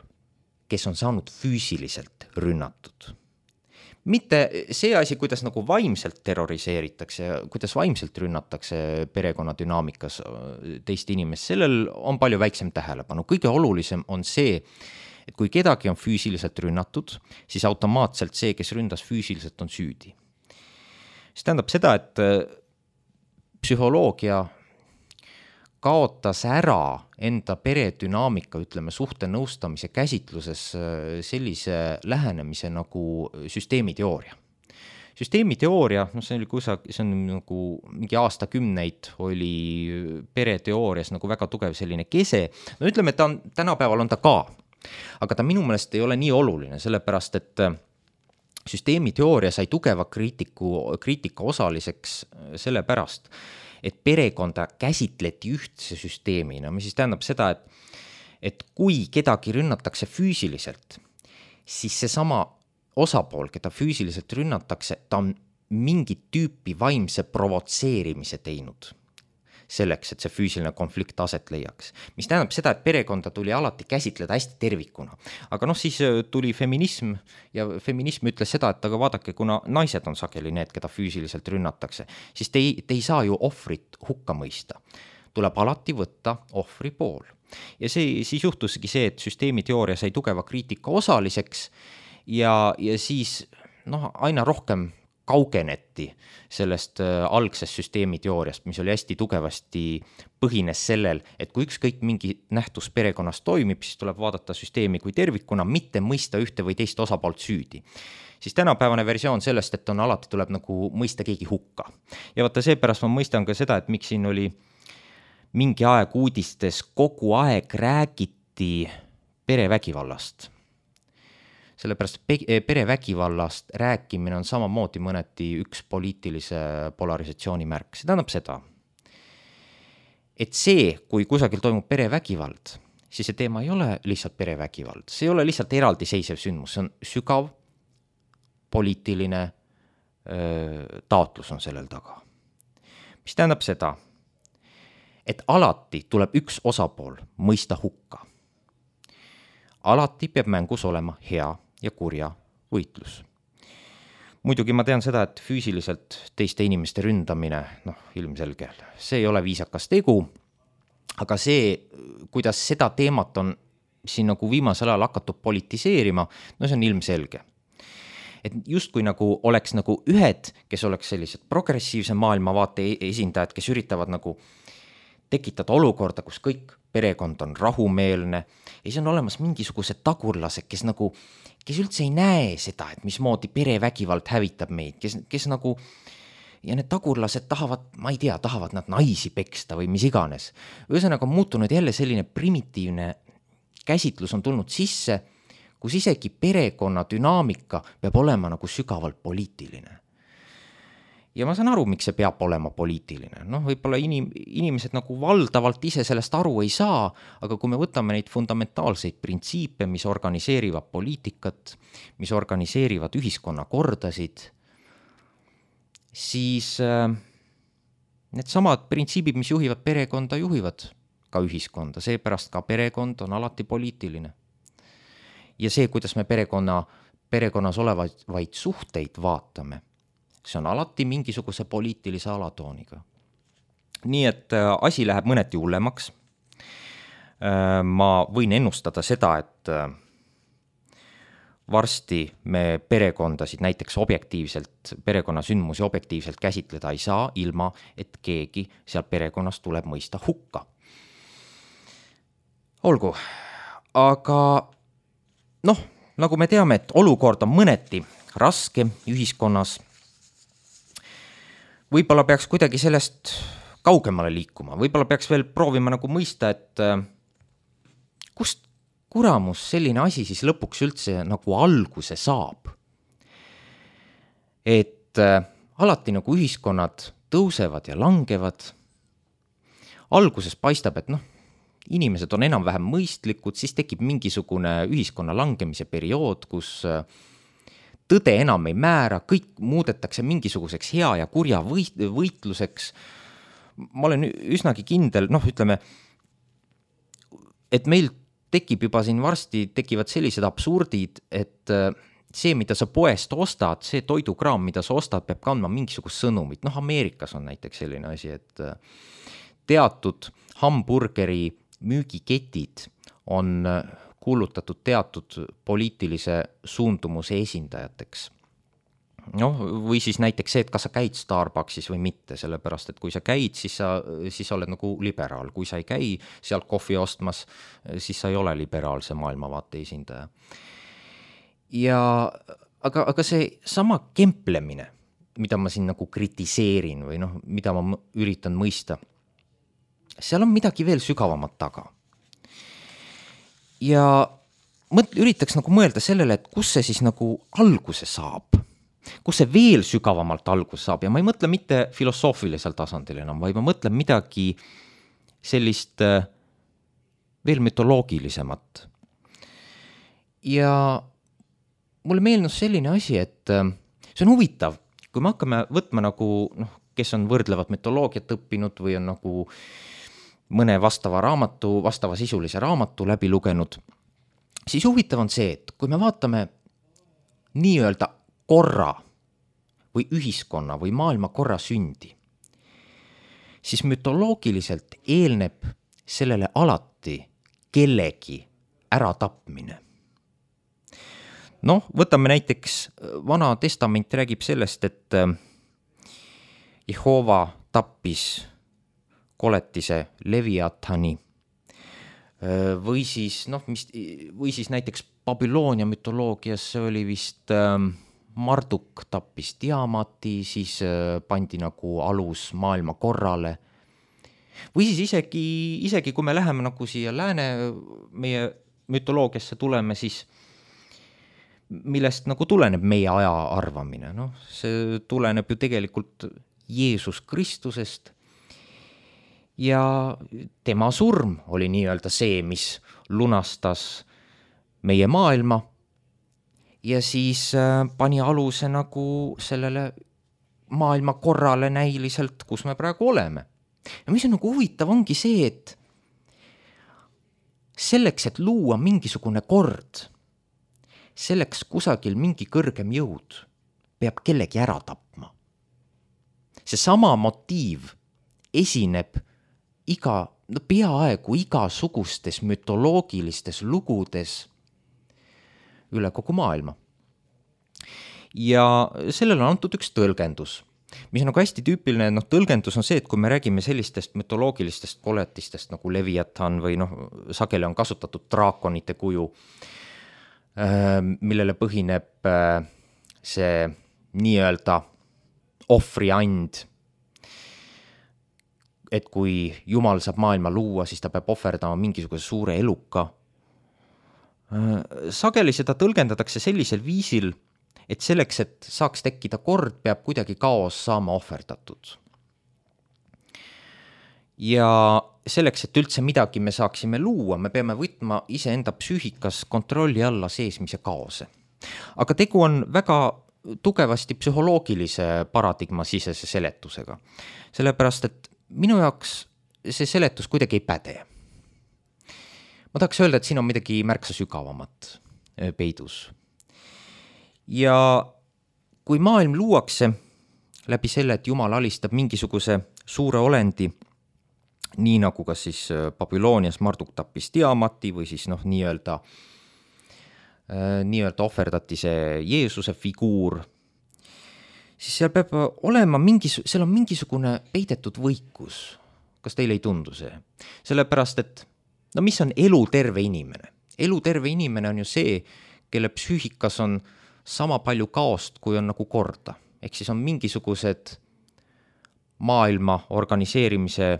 kes on saanud füüsiliselt rünnatud. Mitte see asi, kuidas nagu vaimselt terroriseeritakse, kuidas vaimselt rünnatakse perekonna dünaamikas teist inimest, sellel on palju väiksem tähelepanu. Kõige olulisem on see, et kui kedagi on füüsiliselt rünnatud, siis automaatselt see, kes ründas füüsiliselt, on süüdi. See tähendab seda, et psühholoogia kaotas ära enda peredünaamika, ütleme, suhte nõustamise käsitluses sellise lähenemise nagu süsteemiteooria. Süsteemiteooria, no see oli kusa, see on nagu mingi aastakümneid oli pereteoorias nagu väga tugev selline kese. No ütleme, et ta on, tänapäeval on ta ka, aga ta minu meelest ei ole nii oluline, sellepärast et süsteemiteooria sai tugeva kriitiku, kriitika osaliseks sellepärast, et perekonda käsitleti ühtse süsteemina, mis siis tähendab seda, et, et kui kedagi rünnatakse füüsiliselt, siis see sama osapool, keda füüsiliselt rünnatakse, ta on mingit tüüpi vaimse provotseerimise teinud. selleks, et see füüsiline konflikt aset leiaks. Mis tähendab seda, et perekonda tuli alati käsitleda hästi tervikuna. Aga noh, siis tuli feminism ja feminism ütles seda, et aga vaadake, kuna naised on sageli need, keda füüsiliselt rünnatakse, siis te ei, te ei saa ju ohvrit hukka mõista. Tuleb alati võtta ohvri pool. Ja see, siis juhtuski see, et süsteemiteooria sai tugeva kriitika osaliseks ja, ja siis noh, aina rohkem kaugeneti sellest äh, algsest süsteemiteooriast, mis oli hästi tugevasti põhines sellel, et kui ükskõik mingi nähtus perekonnas toimib, siis tuleb vaadata süsteemi kui tervikuna, mitte mõista ühte või teist osapoolt süüdi. Siis tänapäevane versioon sellest, et on alati tuleb nagu mõista keegi hukka. Ja vaata seepärast ma mõistan ka seda, et miks siin oli mingi aeg uudistes kogu aeg räägiti perevägivallast. Sellepärast perevägivallast rääkimine on samamoodi mõneti üks poliitilise polarisatsiooni märk. See tähendab seda, et see, kui kusagil toimub perevägivald, siis see teema ei ole lihtsalt perevägivald. See ei ole lihtsalt eraldiseisev sündmus, see on sügav poliitiline öö, taotlus on sellel taga. Mis tähendab seda, et alati tuleb üks osapool mõista hukka. Alati peab mängus olema hea ja kurja võitlus. Muidugi ma tean seda, et füüsiliselt teiste inimeste ründamine, noh, ilmselge, see ei ole viisakas tegu, aga see, kuidas seda teemat on siin nagu viimasel ajal hakatud politiseerima, no see on ilmselge. Et just kui nagu oleks nagu ühed, kes oleks sellised progressiivse maailmavaate esindajad, kes üritavad nagu tekitada olukorda, kus kõik perekond on rahumeelne ja siis on olemas mingisugused tagurlased, kes nagu, kes üldse ei näe seda, et mismoodi perevägivald hävitab meid, kes, kes nagu, ja need tagurlased tahavad, ma ei tea, tahavad nad naisi peksta või mis iganes. Ühesõnaga on muutunud jälle selline primitiivne käsitlus on tulnud sisse, kus isegi perekonna dünaamika peab olema nagu sügavalt poliitiline. Ja ma saan aru, miks see peab olema poliitiline. Noh, võib-olla inim, inimesed nagu valdavalt ise sellest aru ei saa, aga kui me võtame neid fundamentaalseid printsiipe, mis organiseerivad poliitikat, mis organiseerivad ühiskonna kordasid, siis äh, need samad printsiibid, mis juhivad perekonda, juhivad ka ühiskonda. Seepärast ka perekond on alati poliitiline. Ja see, kuidas me perekonna, perekonnas olevaid vaid suhteid vaatame, see on alati mingisuguse poliitilise alatooniga. Nii et äh, asi läheb mõneti hullemaks. Äh, ma võin ennustada seda, et äh, varsti me perekondasid näiteks objektiivselt, perekonna sündmusi objektiivselt käsitleda ei saa, ilma et keegi seal perekonnas tuleb mõista hukka. Olgu, aga noh, nagu me teame, et olukord on mõneti raske ühiskonnas, võib-olla peaks kuidagi sellest kaugemale liikuma, võib-olla peaks veel proovima nagu mõista, et kust kuramus selline asi siis lõpuks üldse nagu alguse saab. Et alati nagu ühiskonnad tõusevad ja langevad. Alguses paistab, et noh, inimesed on enam-vähem mõistlikud, siis tekib mingisugune ühiskonna langemise periood, kus tõde enam ei määra, kõik muudetakse mingisuguseks hea ja kurja võitluseks. Ma olen üsnagi kindel, noh ütleme, et meil tekib juba siin varsti, tekivad sellised absurdid, et see, mida sa poest ostad, see toidukraam, mida sa ostad, peab kandma mingisugust sõnumit. Noh, Ameerikas on näiteks selline asi, et teatud hamburgeri müügiketid on kuulutatud teatud poliitilise suundumuse esindajateks. noh, või siis näiteks see, et kas sa käid Starbucksis või mitte, sellepärast, et kui sa käid, siis sa, siis sa oled nagu liberaal. Kui sa ei käi sealt kohvi ostmas, siis sa ei ole liberaalse maailmavaate esindaja. Ja, aga, aga see sama kemplemine, mida ma siin nagu kritiseerin või noh, mida ma üritan mõista, seal on midagi veel sügavamat taga. Ja mõt, üritaks nagu mõelda sellele, et kus see siis nagu alguse saab, kus see veel sügavamalt algus saab, ja ma ei mõtle mitte filosoofilisel tasandil enam, vaid ma mõtlen midagi sellist veel mütoloogilisemat. Ja mulle meelnus selline asi, et see on huvitav, kui me hakkame võtma nagu noh, kes on võrdlevat mütoloogiat õppinud või on nagu mõne vastava raamatu, vastava sisulise raamatu läbi lugenud, siis huvitav on see, et kui me vaatame nii-öelda korra või ühiskonna või maailma korra sündi, siis mütoloogiliselt eelneb sellele alati kellegi äratapmine. Noh, võtame näiteks, Vana Testament räägib sellest, et Jehova tappis koletise Leviathani või siis, noh, mis, või siis näiteks Babyloonia mütoloogias see oli vist Marduk tappis Tiamati, siis pandi nagu alus maailma korrale. Või siis isegi, isegi kui me läheme nagu siia lääne meie mütoloogiasse tuleme, siis millest nagu tuleneb meie aja arvamine. No, see tuleneb ju tegelikult Jeesus Kristusest ja tema surm oli nii-öelda see, mis lunastas meie maailma ja siis pani aluse nagu sellele maailma korrale näiliselt, kus me praegu oleme. Ja mis on nagu huvitav, ongi see, et selleks, et luua mingisugune kord, selleks kusagil mingi kõrgem jõud peab kellegi ära tapma. See sama motiiv esineb iga, no peaaegu igasugustes mütoloogilistes lugudes üle kogu maailma. Ja sellele on antud üks tõlgendus, mis on nagu hästi tüüpiline, noh, tõlgendus on see, et kui me räägime sellistest mütoloogilistest koletistest nagu Leviathan või noh, sageli on kasutatud draakonite kuju, millele põhineb see nii-öelda ohvriand, et kui Jumal saab maailma luua, siis ta peab ohverdama mingisuguse suure eluka. Sageli seda tõlgendatakse sellisel viisil, et selleks, et saaks tekkida kord, peab kuidagi kaos saama ohverdatud. Ja selleks, et üldse midagi me saaksime luua, me peame võtma iseenda psüühikas kontrolli alla seesmise kaose. Aga tegu on väga tugevasti psühholoogilise paradigma sisese seletusega. Sellepärast, et minu jaoks see seletus kuidagi ei päde. Ma tahaks öelda, et siin on midagi märksa sügavamat peidus. Ja kui maailm luuakse läbi selle, et Jumal alistab mingisuguse suure olendi, nii nagu ka siis Babylonias Marduk tappis Tiamati või siis noh, nii-öelda, nii-öelda ohverdati see Jeesuse figuur, siis seal peab olema mingis, seal on mingisugune peidetud võikus. Kas teile ei tundu see? Sellepärast, et no mis on eluterve inimene? Eluterve inimene on ju see, kelle psüühikas on sama palju kaost, kui on nagu korda. Ehk siis on mingisugused maailma organiseerimise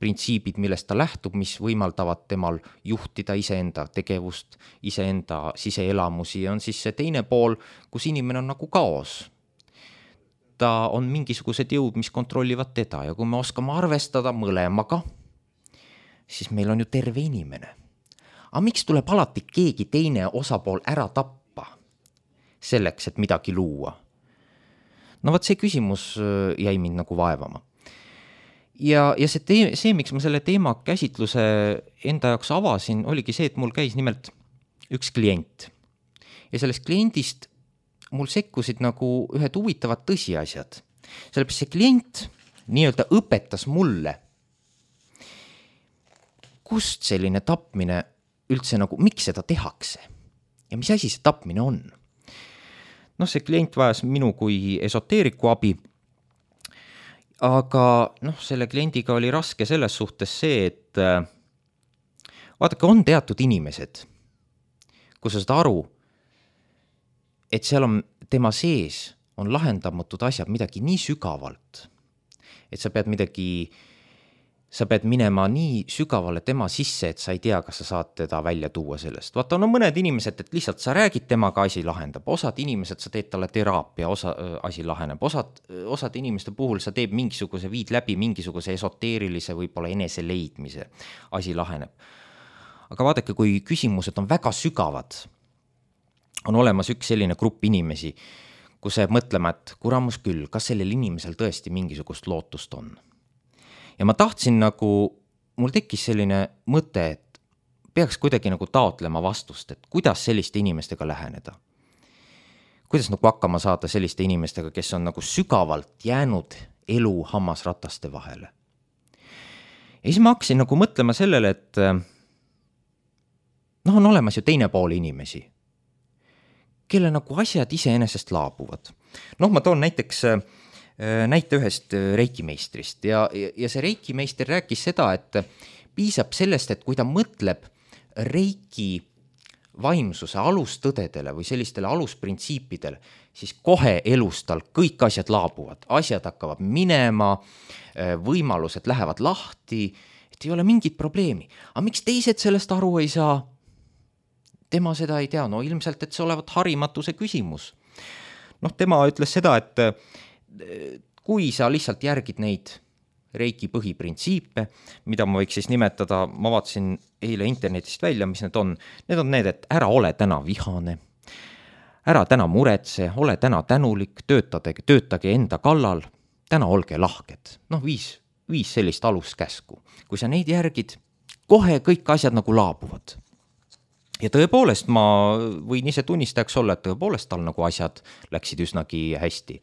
printsiibid, millest ta lähtub, mis võimaldavad temal juhtida iseenda tegevust, iseenda siseelamusi ja on siis see teine pool, kus inimene on nagu kaos. Ta on mingisugused jõud, mis kontrollivad teda ja kui me oskame arvestada mõlemaga, siis meil on ju terve inimene. Aga miks tuleb alati keegi teine osapool ära tappa selleks, et midagi luua? No võt see küsimus jäi mind nagu vaevama. Ja, ja see, tee, see, miks ma selle teema käsitluse enda jaoks avasin, oligi see, et mul käis nimelt üks klient. Ja sellest kliendist mul sekkusid nagu ühed huvitavad tõsiasjad. Sellepärast see klient nii-öelda õpetas mulle, kust selline tapmine üldse nagu, miks seda tehakse ja mis asi see tapmine on. Noh, see klient vajas minu kui esoteeriku abi, aga noh, selle kliendiga oli raske selles suhtes see, et vaadake, on teatud inimesed, kus sa saad aru, et seal on tema sees on lahendamatud asjad midagi nii sügavalt, et sa pead midagi, sa pead minema nii sügavale tema sisse, et sa ei tea, kas sa saad teda välja tuua sellest. Vaata, on mõned inimesed, et lihtsalt sa räägid temaga, asi lahendab. Osad inimesed, sa teed talle teraapia, osa, asi laheneb. Osad, osad inimeste puhul sa teed mingisuguse, viid läbi mingisuguse esoteerilise võib-olla enese leidmise, asi laheneb. Aga vaadake, kui küsimused on väga sügavad, on olemas üks selline grupp inimesi, kus jääb mõtlema, et kuramus küll, kas sellel inimesel tõesti mingisugust lootust on. Ja ma tahtsin nagu, mul tekkis selline mõte, et peaks kuidagi nagu taotlema vastust, et kuidas selliste inimestega läheneda. Kuidas nagu hakkama saada selliste inimestega, kes on nagu sügavalt jäänud elu hammasrataste vahele. Ja siis ma hakkasin nagu mõtlema sellele, et noh, on olemas ju teine pool inimesi, kelle nagu asjad iseenesest laabuvad. Noh, ma toon näiteks näite ühest reikimeistrist ja, ja see reikimeister rääkis seda, et piisab sellest, et kui ta mõtleb reiki vaimsuse alustõdedele või sellistele alusprintsiipidele, siis kohe elus tal kõik asjad laabuvad, asjad hakkavad minema, võimalused lähevad lahti, et ei ole mingit probleemi. Aga miks teised sellest aru ei saa? Tema seda ei tea, no ilmselt, et see olevat harimatuse küsimus. Noh, tema ütles seda, et kui sa lihtsalt järgid neid reiki põhiprintsiipe, mida ma võiks siis nimetada, ma vaatasin eile internetist välja, mis need on. Need on need, et ära ole täna vihane, ära täna muretse, ole täna tänulik, töötage, töötage enda kallal, täna olge lahked. Noh, viis, viis sellist aluskäsku. Kui sa neid järgid, kohe kõik asjad nagu laabuvad. Ja tõepoolest ma võin ise tunnistajaks olla, et tõepoolest tal nagu asjad läksid üsnagi hästi.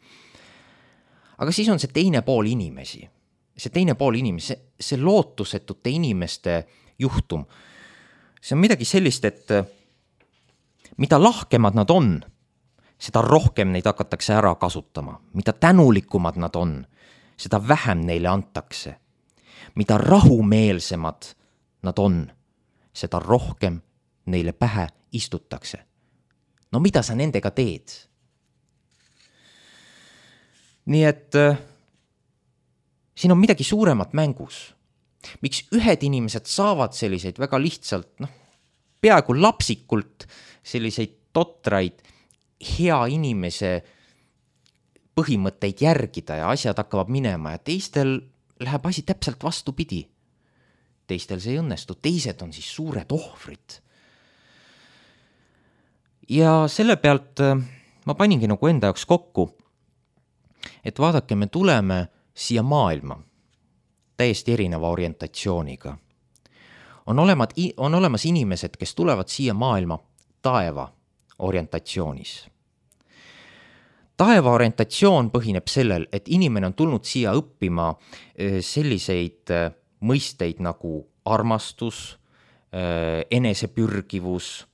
Aga siis on see teine pool inimesi. See teine pool inimesi, see, see lootusetute inimeste juhtum. See on midagi sellist, et mida lahkemad nad on, seda rohkem neid hakatakse ära kasutama. Mida tänulikumad nad on, seda vähem neile antakse. Mida rahumeelsemad nad on, seda rohkem neile pähe istutakse. No mida sa nendega teed? Nii et siin on midagi suuremat mängus. Miks ühed inimesed saavad selliseid väga lihtsalt, noh, peaaegu lapsikult selliseid totraid hea inimese põhimõtteid järgida ja asjad hakkavad minema ja teistel läheb asi täpselt vastupidi. Teistel see ei õnnestu, teised on siis suured ohvrid. Ja selle pealt ma paningi nagu enda jaoks kokku, et vaadake, me tuleme siia maailma täiesti erineva orientatsiooniga. On, olemas, on olemas inimesed, kes tulevad siia maailma taeva orientatsioonis. Taeva orientatsioon põhineb sellel, et inimene on tulnud siia õppima selliseid mõisteid nagu armastus, enesepürgivus,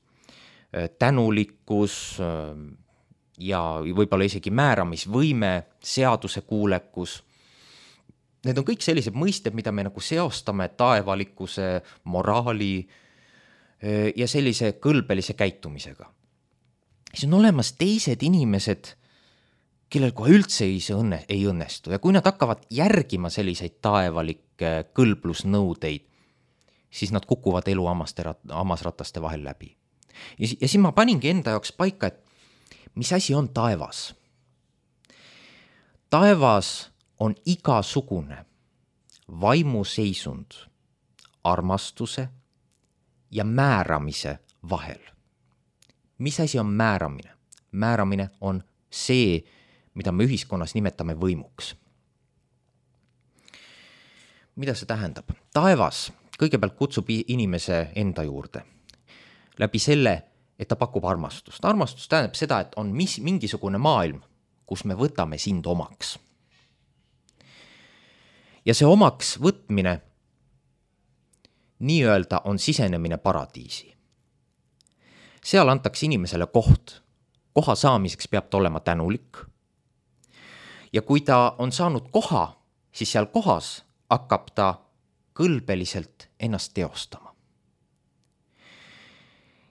tänulikkus ja võib-olla isegi määramisvõime, seadusekuulekus. Need on kõik sellised mõisted, mida me nagu seostame taevalikkuse, moraali ja sellise kõlbelise käitumisega. Siis on olemas teised inimesed, kellel kohe üldse ei, õnne, ei õnnestu ja kui nad hakkavad järgima selliseid taevalikke kõlblusnõudeid, siis nad kukuvad elu hammasrataste vahel läbi. Ja, ja siin ma paningi enda jaoks paika, et mis asi on taevas? Taevas on igasugune vaimuseisund armastuse ja määramise vahel. Mis asi on määramine? Määramine on see, mida me ühiskonnas nimetame võimuks. Mida see tähendab? Taevas kõigepealt kutsub inimese enda juurde. Läbi selle, et ta pakub armastust. Armastus tähendab seda, et on mis, mingisugune maailm, kus me võtame sind omaks. Ja see omaks võtmine nii-öelda on sisenemine paradiisi. Seal antakse inimesele koht. Koha saamiseks peab ta olema tänulik. Ja kui ta on saanud koha, siis seal kohas hakkab ta kõlbeliselt ennast teostama.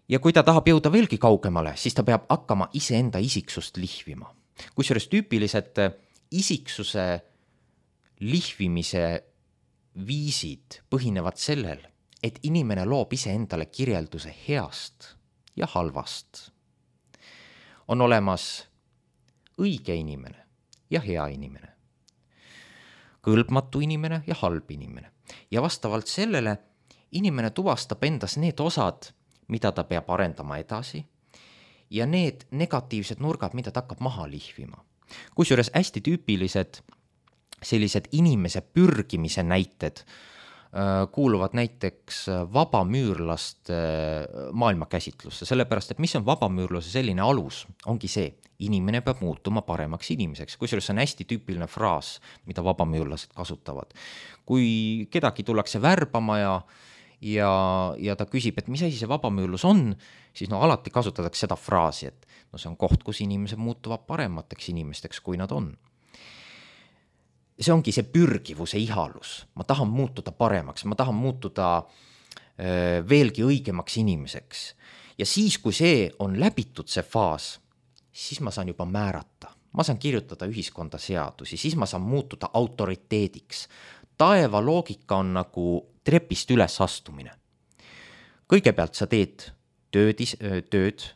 Ja kui ta tahab jõuda veelgi kaugemale, siis ta peab hakkama iseenda isiksust lihvima. Kusjuures tüüpilised isiksuse lihvimise viisid põhinevad sellel, et inimene loob iseendale kirjelduse heast ja halvast. On olemas õige inimene ja hea inimene, kõlbmatu inimene ja halb inimene. Ja vastavalt sellele inimene tuvastab endas need osad, mida ta peab arendama edasi ja need negatiivsed nurgad, mida ta hakkab maha lihvima. Kusjuures hästi tüüpilised sellised inimese pürgimise näited kuuluvad näiteks vabamüürlaste maailmakäsitlusse, sellepärast, et mis on vabamüürluse selline alus, ongi see, inimene peab muutuma paremaks inimeseks, kusjuures see on hästi tüüpiline fraas, mida vabamüürlased kasutavad. Kui kedagi tullakse värbama ja, ja, ja ta küsib, et mis asi see vabamüürlus on, siis no alati kasutatakse seda fraasi, et no see on koht, kus inimesed muutuvad paremateks inimesteks, kui nad on. See ongi see pürgivuse ihalus. Ma tahan muutuda paremaks, ma tahan muutuda öö, veelgi õigemaks inimeseks. Ja siis, kui see on läbitud see faas, siis ma saan juba määrata. Ma saan kirjutada ühiskonda seadusi, siis ma saan muutuda autoriteediks. Taeva loogika on nagu trepist üles astumine. Kõigepealt sa teed tööd, tööd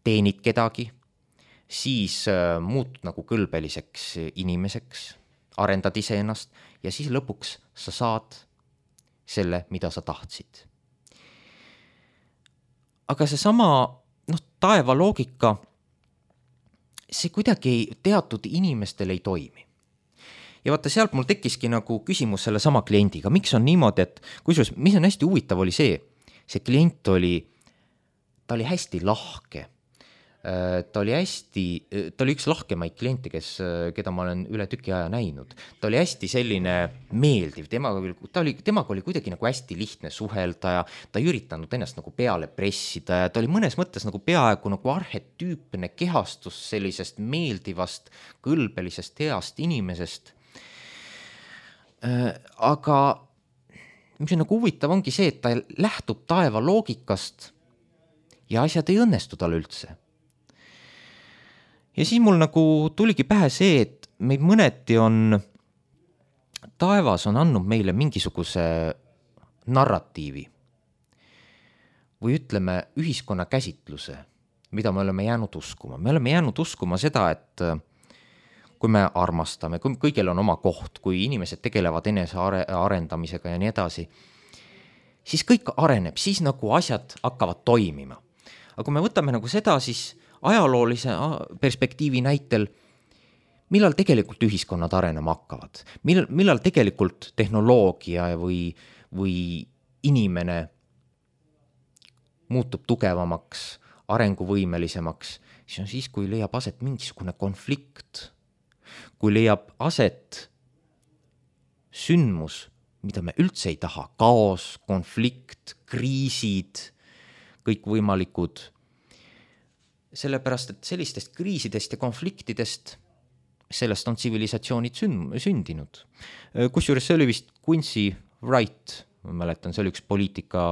teenid kedagi, siis äh, muutud nagu kõlbeliseks inimeseks, arendad iseennast ja siis lõpuks sa saad selle, mida sa tahtsid. Aga see sama noh, taeva loogika, see kuidagi teatud inimestel ei toimi. Ja vaata, sealt mul tekkiski nagu küsimus selle sama kliendiga. Miks on niimoodi, et kusjuures, mis on hästi huvitav oli see, see klient oli, ta oli hästi lahke. Ta oli hästi, ta oli üks lahkemaid kliente, kes, keda ma olen üle tüki aja näinud. Ta oli hästi selline meeldiv, temaga oli, ta oli, temaga oli kuidagi nagu hästi lihtne suhelda ja ta ei üritanud ennast nagu peale pressida ja ta oli mõnes mõttes nagu peaaegu nagu arhetüüpne kehastus sellisest meeldivast, kõlbelisest, heast inimesest. Aga mis on nagu huvitav ongi see, et ta lähtub taeva loogikast ja asjad ei õnnestu tal üldse. Ja siis mul nagu tuligi pähe see, et meid mõneti on, taevas on andnud meile mingisuguse narratiivi või ütleme ühiskonna käsitluse, mida me oleme jäänud uskuma. Me oleme jäänud uskuma seda, et kui me armastame, kui kõigil on oma koht, kui inimesed tegelevad enese arendamisega ja nii edasi, siis kõik areneb, siis nagu asjad hakkavad toimima. Aga kui me võtame nagu seda, siis ajaloolise perspektiivi näitel, millal tegelikult ühiskonnad arenema hakkavad, millal, millal tegelikult tehnoloogia või, või inimene muutub tugevamaks, arenguvõimelisemaks, siis on siis, kui leiab aset mingisugune konflikt, kui leiab aset sündmus, mida me üldse ei taha, kaos, konflikt, kriisid, kõik võimalikud. Sellepärast, et sellistest kriisidest ja konfliktidest, sellest on tsivilisatsioonid sündinud. Kusjuures see oli vist Quincy Wright, ma mäletan, see oli üks poliitika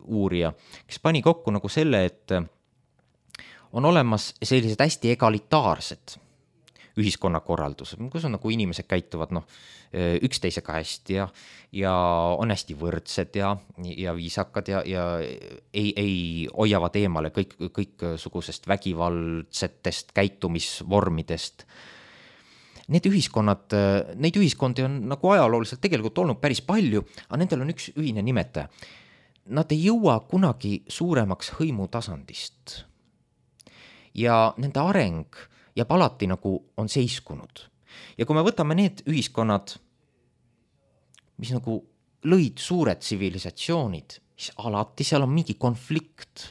uurija, kes pani kokku nagu selle, et on olemas sellised hästi egalitaarsed ühiskonnakorraldused, kus on nagu inimesed käituvad no, üksteisega hästi ja, ja on hästi võrdsed ja, ja viisakad ja, ja ei, ei hoiavad eemale kõik, kõik sugusest vägivaldsetest käitumisvormidest. Need ühiskonnad, neid ühiskondi on nagu ajalooliselt tegelikult olnud päris palju, aga nendel on üks ühine nimetaja. Nad ei jõua kunagi suuremaks hõimutasandist. Ja nende areng jääb alati nagu on seiskunud. Ja kui me võtame need ühiskonnad, mis nagu lõid suured tsivilisatsioonid, siis alati seal on mingi konflikt,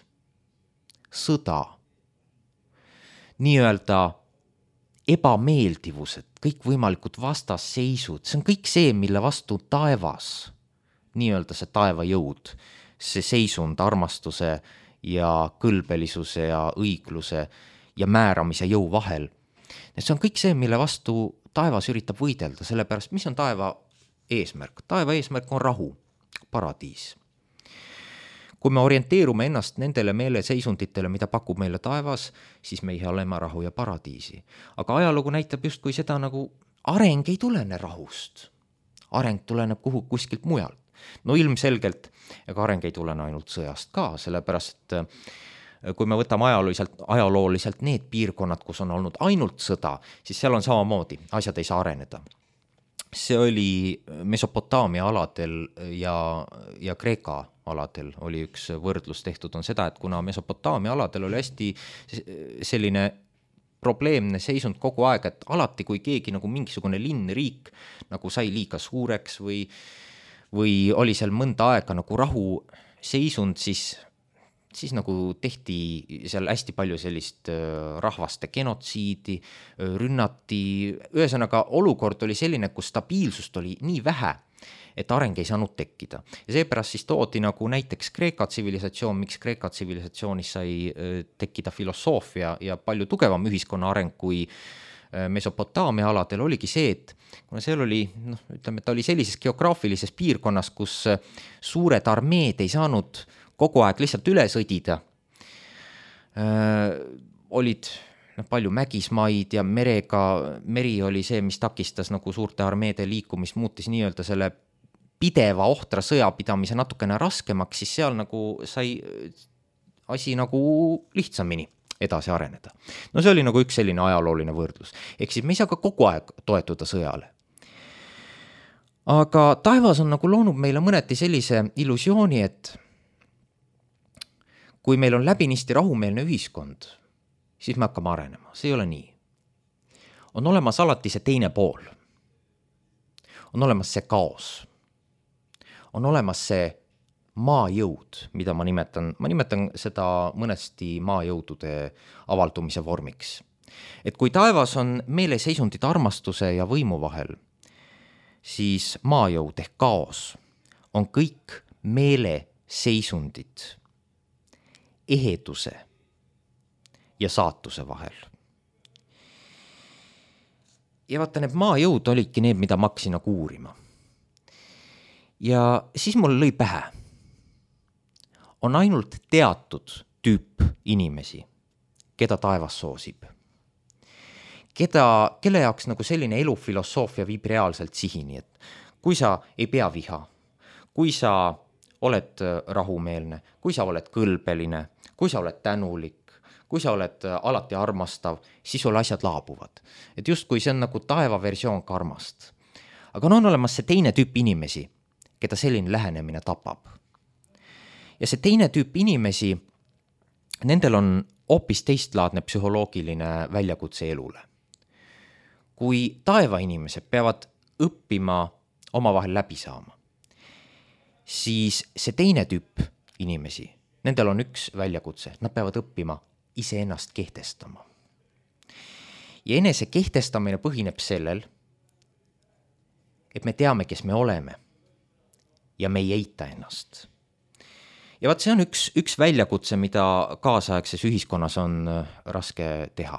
sõda, nii-öelda ebameeldivused, kõik võimalikud vastasseisud, see on kõik see, mille vastu taevas, nii-öelda see taeva jõud, see seisund armastuse ja kõlbelisuse ja õigluse ja määramise jõu vahel. See on kõik see, mille vastu taevas üritab võidelda, sellepärast, mis on taeva eesmärk? Taeva eesmärk on rahu, paradiis. Kui me orienteerume ennast nendele meeleseisunditele, mida pakub meile taevas, siis me ei oleme rahu ja paradiisi. Aga ajalugu näitab just, kui seda nagu areng ei tulene rahust. Areng tuleneb kuhu kuskilt mujalt. No ilmselgelt, ega areng ei tulene ainult sõjast ka, sellepärast, et kui me võtame ajalooliselt, ajalooliselt need piirkonnad, kus on olnud ainult sõda, siis seal on samamoodi, asjad ei saa areneda. See oli Mesopotaamia aladel ja, ja Kreeka aladel oli üks võrdlus tehtud, on seda, et kuna Mesopotaamia aladel oli hästi selline probleemne seisund kogu aeg, et alati, kui keegi nagu mingisugune linn, riik nagu sai liiga suureks või, või oli seal mõnda aega nagu rahu seisund, siis, siis nagu tehti seal hästi palju sellist rahvaste genotsiidi, rünnati, ühesõnaga olukord oli selline, kus stabiilsust oli nii vähe, et areng ei saanud tekkida. Ja seepärast siis toodi nagu näiteks Kreeka tsivilisatsioon, miks Kreeka tsivilisatsioonis sai tekkida filosoofia ja palju tugevam ühiskonna areng kui Mesopotaamia aladel oligi see, et kuna seal oli, noh, ütleme, ta oli sellises geograafilises piirkonnas, kus suured armeed ei saanud kogu aeg lihtsalt üle sõdida, olid noh, palju mägismaid ja merega, meri oli see, mis takistas nagu suurte armeede liikumist, muutis nii-öelda selle pideva ohtra sõjapidamise natukene raskemaks, siis seal nagu sai asi nagu lihtsamini edasi areneda. No see oli nagu üks selline ajalooline võrdlus. Ehk siis me ei saa ka kogu aeg toetuda sõjale. Aga taevas on nagu loonud meile mõneti sellise illusiooni, et kui meil on läbinisti rahumeelne ühiskond, siis me hakkame arenema. See ei ole nii. On olemas alati see teine pool. On olemas see kaos. On olemas see maajõud, mida ma nimetan, ma nimetan seda mõnesti maajõudude avaldumise vormiks. Et kui taevas on meeleseisundid armastuse ja võimu vahel, siis maajõud ehk kaos on kõik meeleseisundid eheduse ja saatuse vahel. Ja vaata, need maajõud olidki need, mida ma hakkasin nagu uurima. Ja siis mul lõi pähe. On ainult teatud tüüp inimesi, keda taevas soosib. Keda, kelle jaoks nagu selline elufilosoofia viib reaalselt sihini, et kui sa ei pea viha, kui sa oled rahumeelne, kui sa oled kõlbeline, kui sa oled tänulik, kui sa oled alati armastav, siis sul asjad laabuvad. Et just kui see on nagu taeva versioon karmast. Aga on olemas see teine tüüp inimesi, keda selline lähenemine tapab. Ja see teine tüüp inimesi, nendel on hoopis teistlaadne psühholoogiline väljakutse elule. Kui taeva inimesed peavad õppima omavahel läbi saama, siis see teine tüüp inimesi, nendel on üks väljakutse, nad peavad õppima iseennast kehtestama. Ja enese kehtestamine põhineb sellel, et me teame, kes me oleme ja me ei eita ennast. Ja vaat see on üks, üks väljakutse, mida kaasaegses ühiskonnas on raske teha.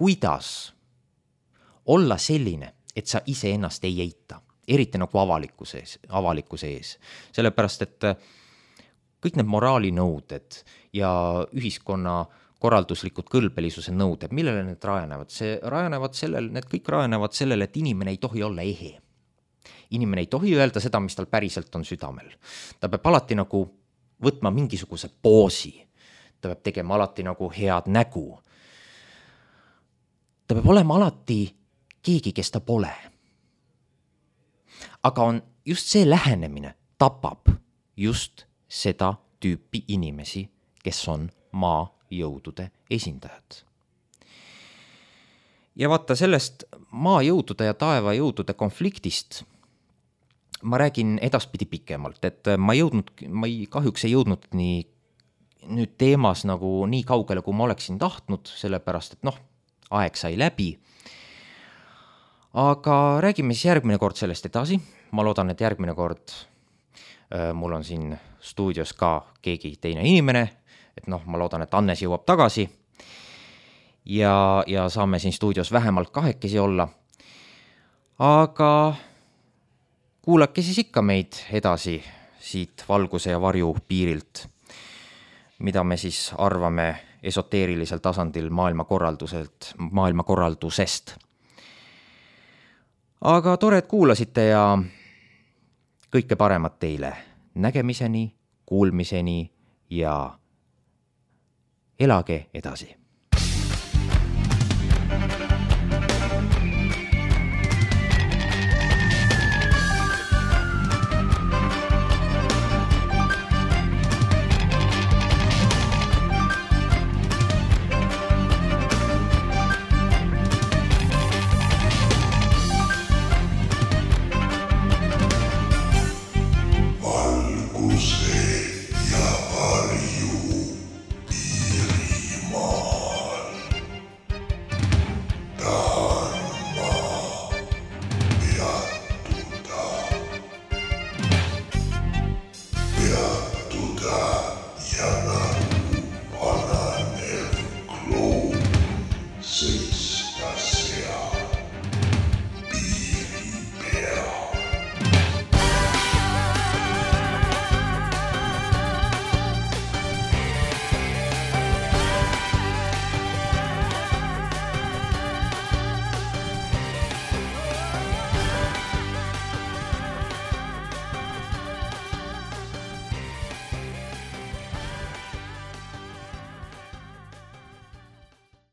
Kuidas olla selline, et sa ise ennast ei eita, eriti nagu avalikkuse ees, avalikkuse ees. Sellepärast, et kõik need moraalinõuded ja ühiskonna korralduslikud kõlbelisuse nõuded, millele need rajanevad? See rajanevad sellel, need kõik rajanevad sellele, et inimene ei tohi olla ehe. Inimene ei tohi öelda seda, mis tal päriselt on südamel. Ta peab alati nagu võtma mingisuguse poosi. Ta peab tegema alati nagu head nägu. Ta peab olema alati keegi, kes ta pole. Aga on just see lähenemine tapab just seda tüüpi inimesi, kes on maajõudude esindajad. Ja vaata sellest maajõudude ja taevajõudude konfliktist ma räägin edaspidi pikemalt, et ma jõudnud, ma ei, kahjuks ei jõudnud nii nüüd teemas nagu nii kaugele, kui ma oleksin tahtnud, sellepärast, et noh, aeg sai läbi. Aga räägime siis järgmine kord sellest edasi. Ma loodan, et järgmine kord äh, mul on siin stuudios ka keegi teine inimene, et noh, ma loodan, et Annes jõuab tagasi ja, ja saame siin stuudios vähemalt kahekesi olla. Aga kuulake siis ikka meid edasi siit valguse ja varju piirilt, mida me siis arvame esoteerilisel tasandil maailmakorralduselt, maailmakorraldusest. Aga tore, et kuulasite ja kõike paremat teile. Nägemiseni, kuulmiseni ja elage edasi.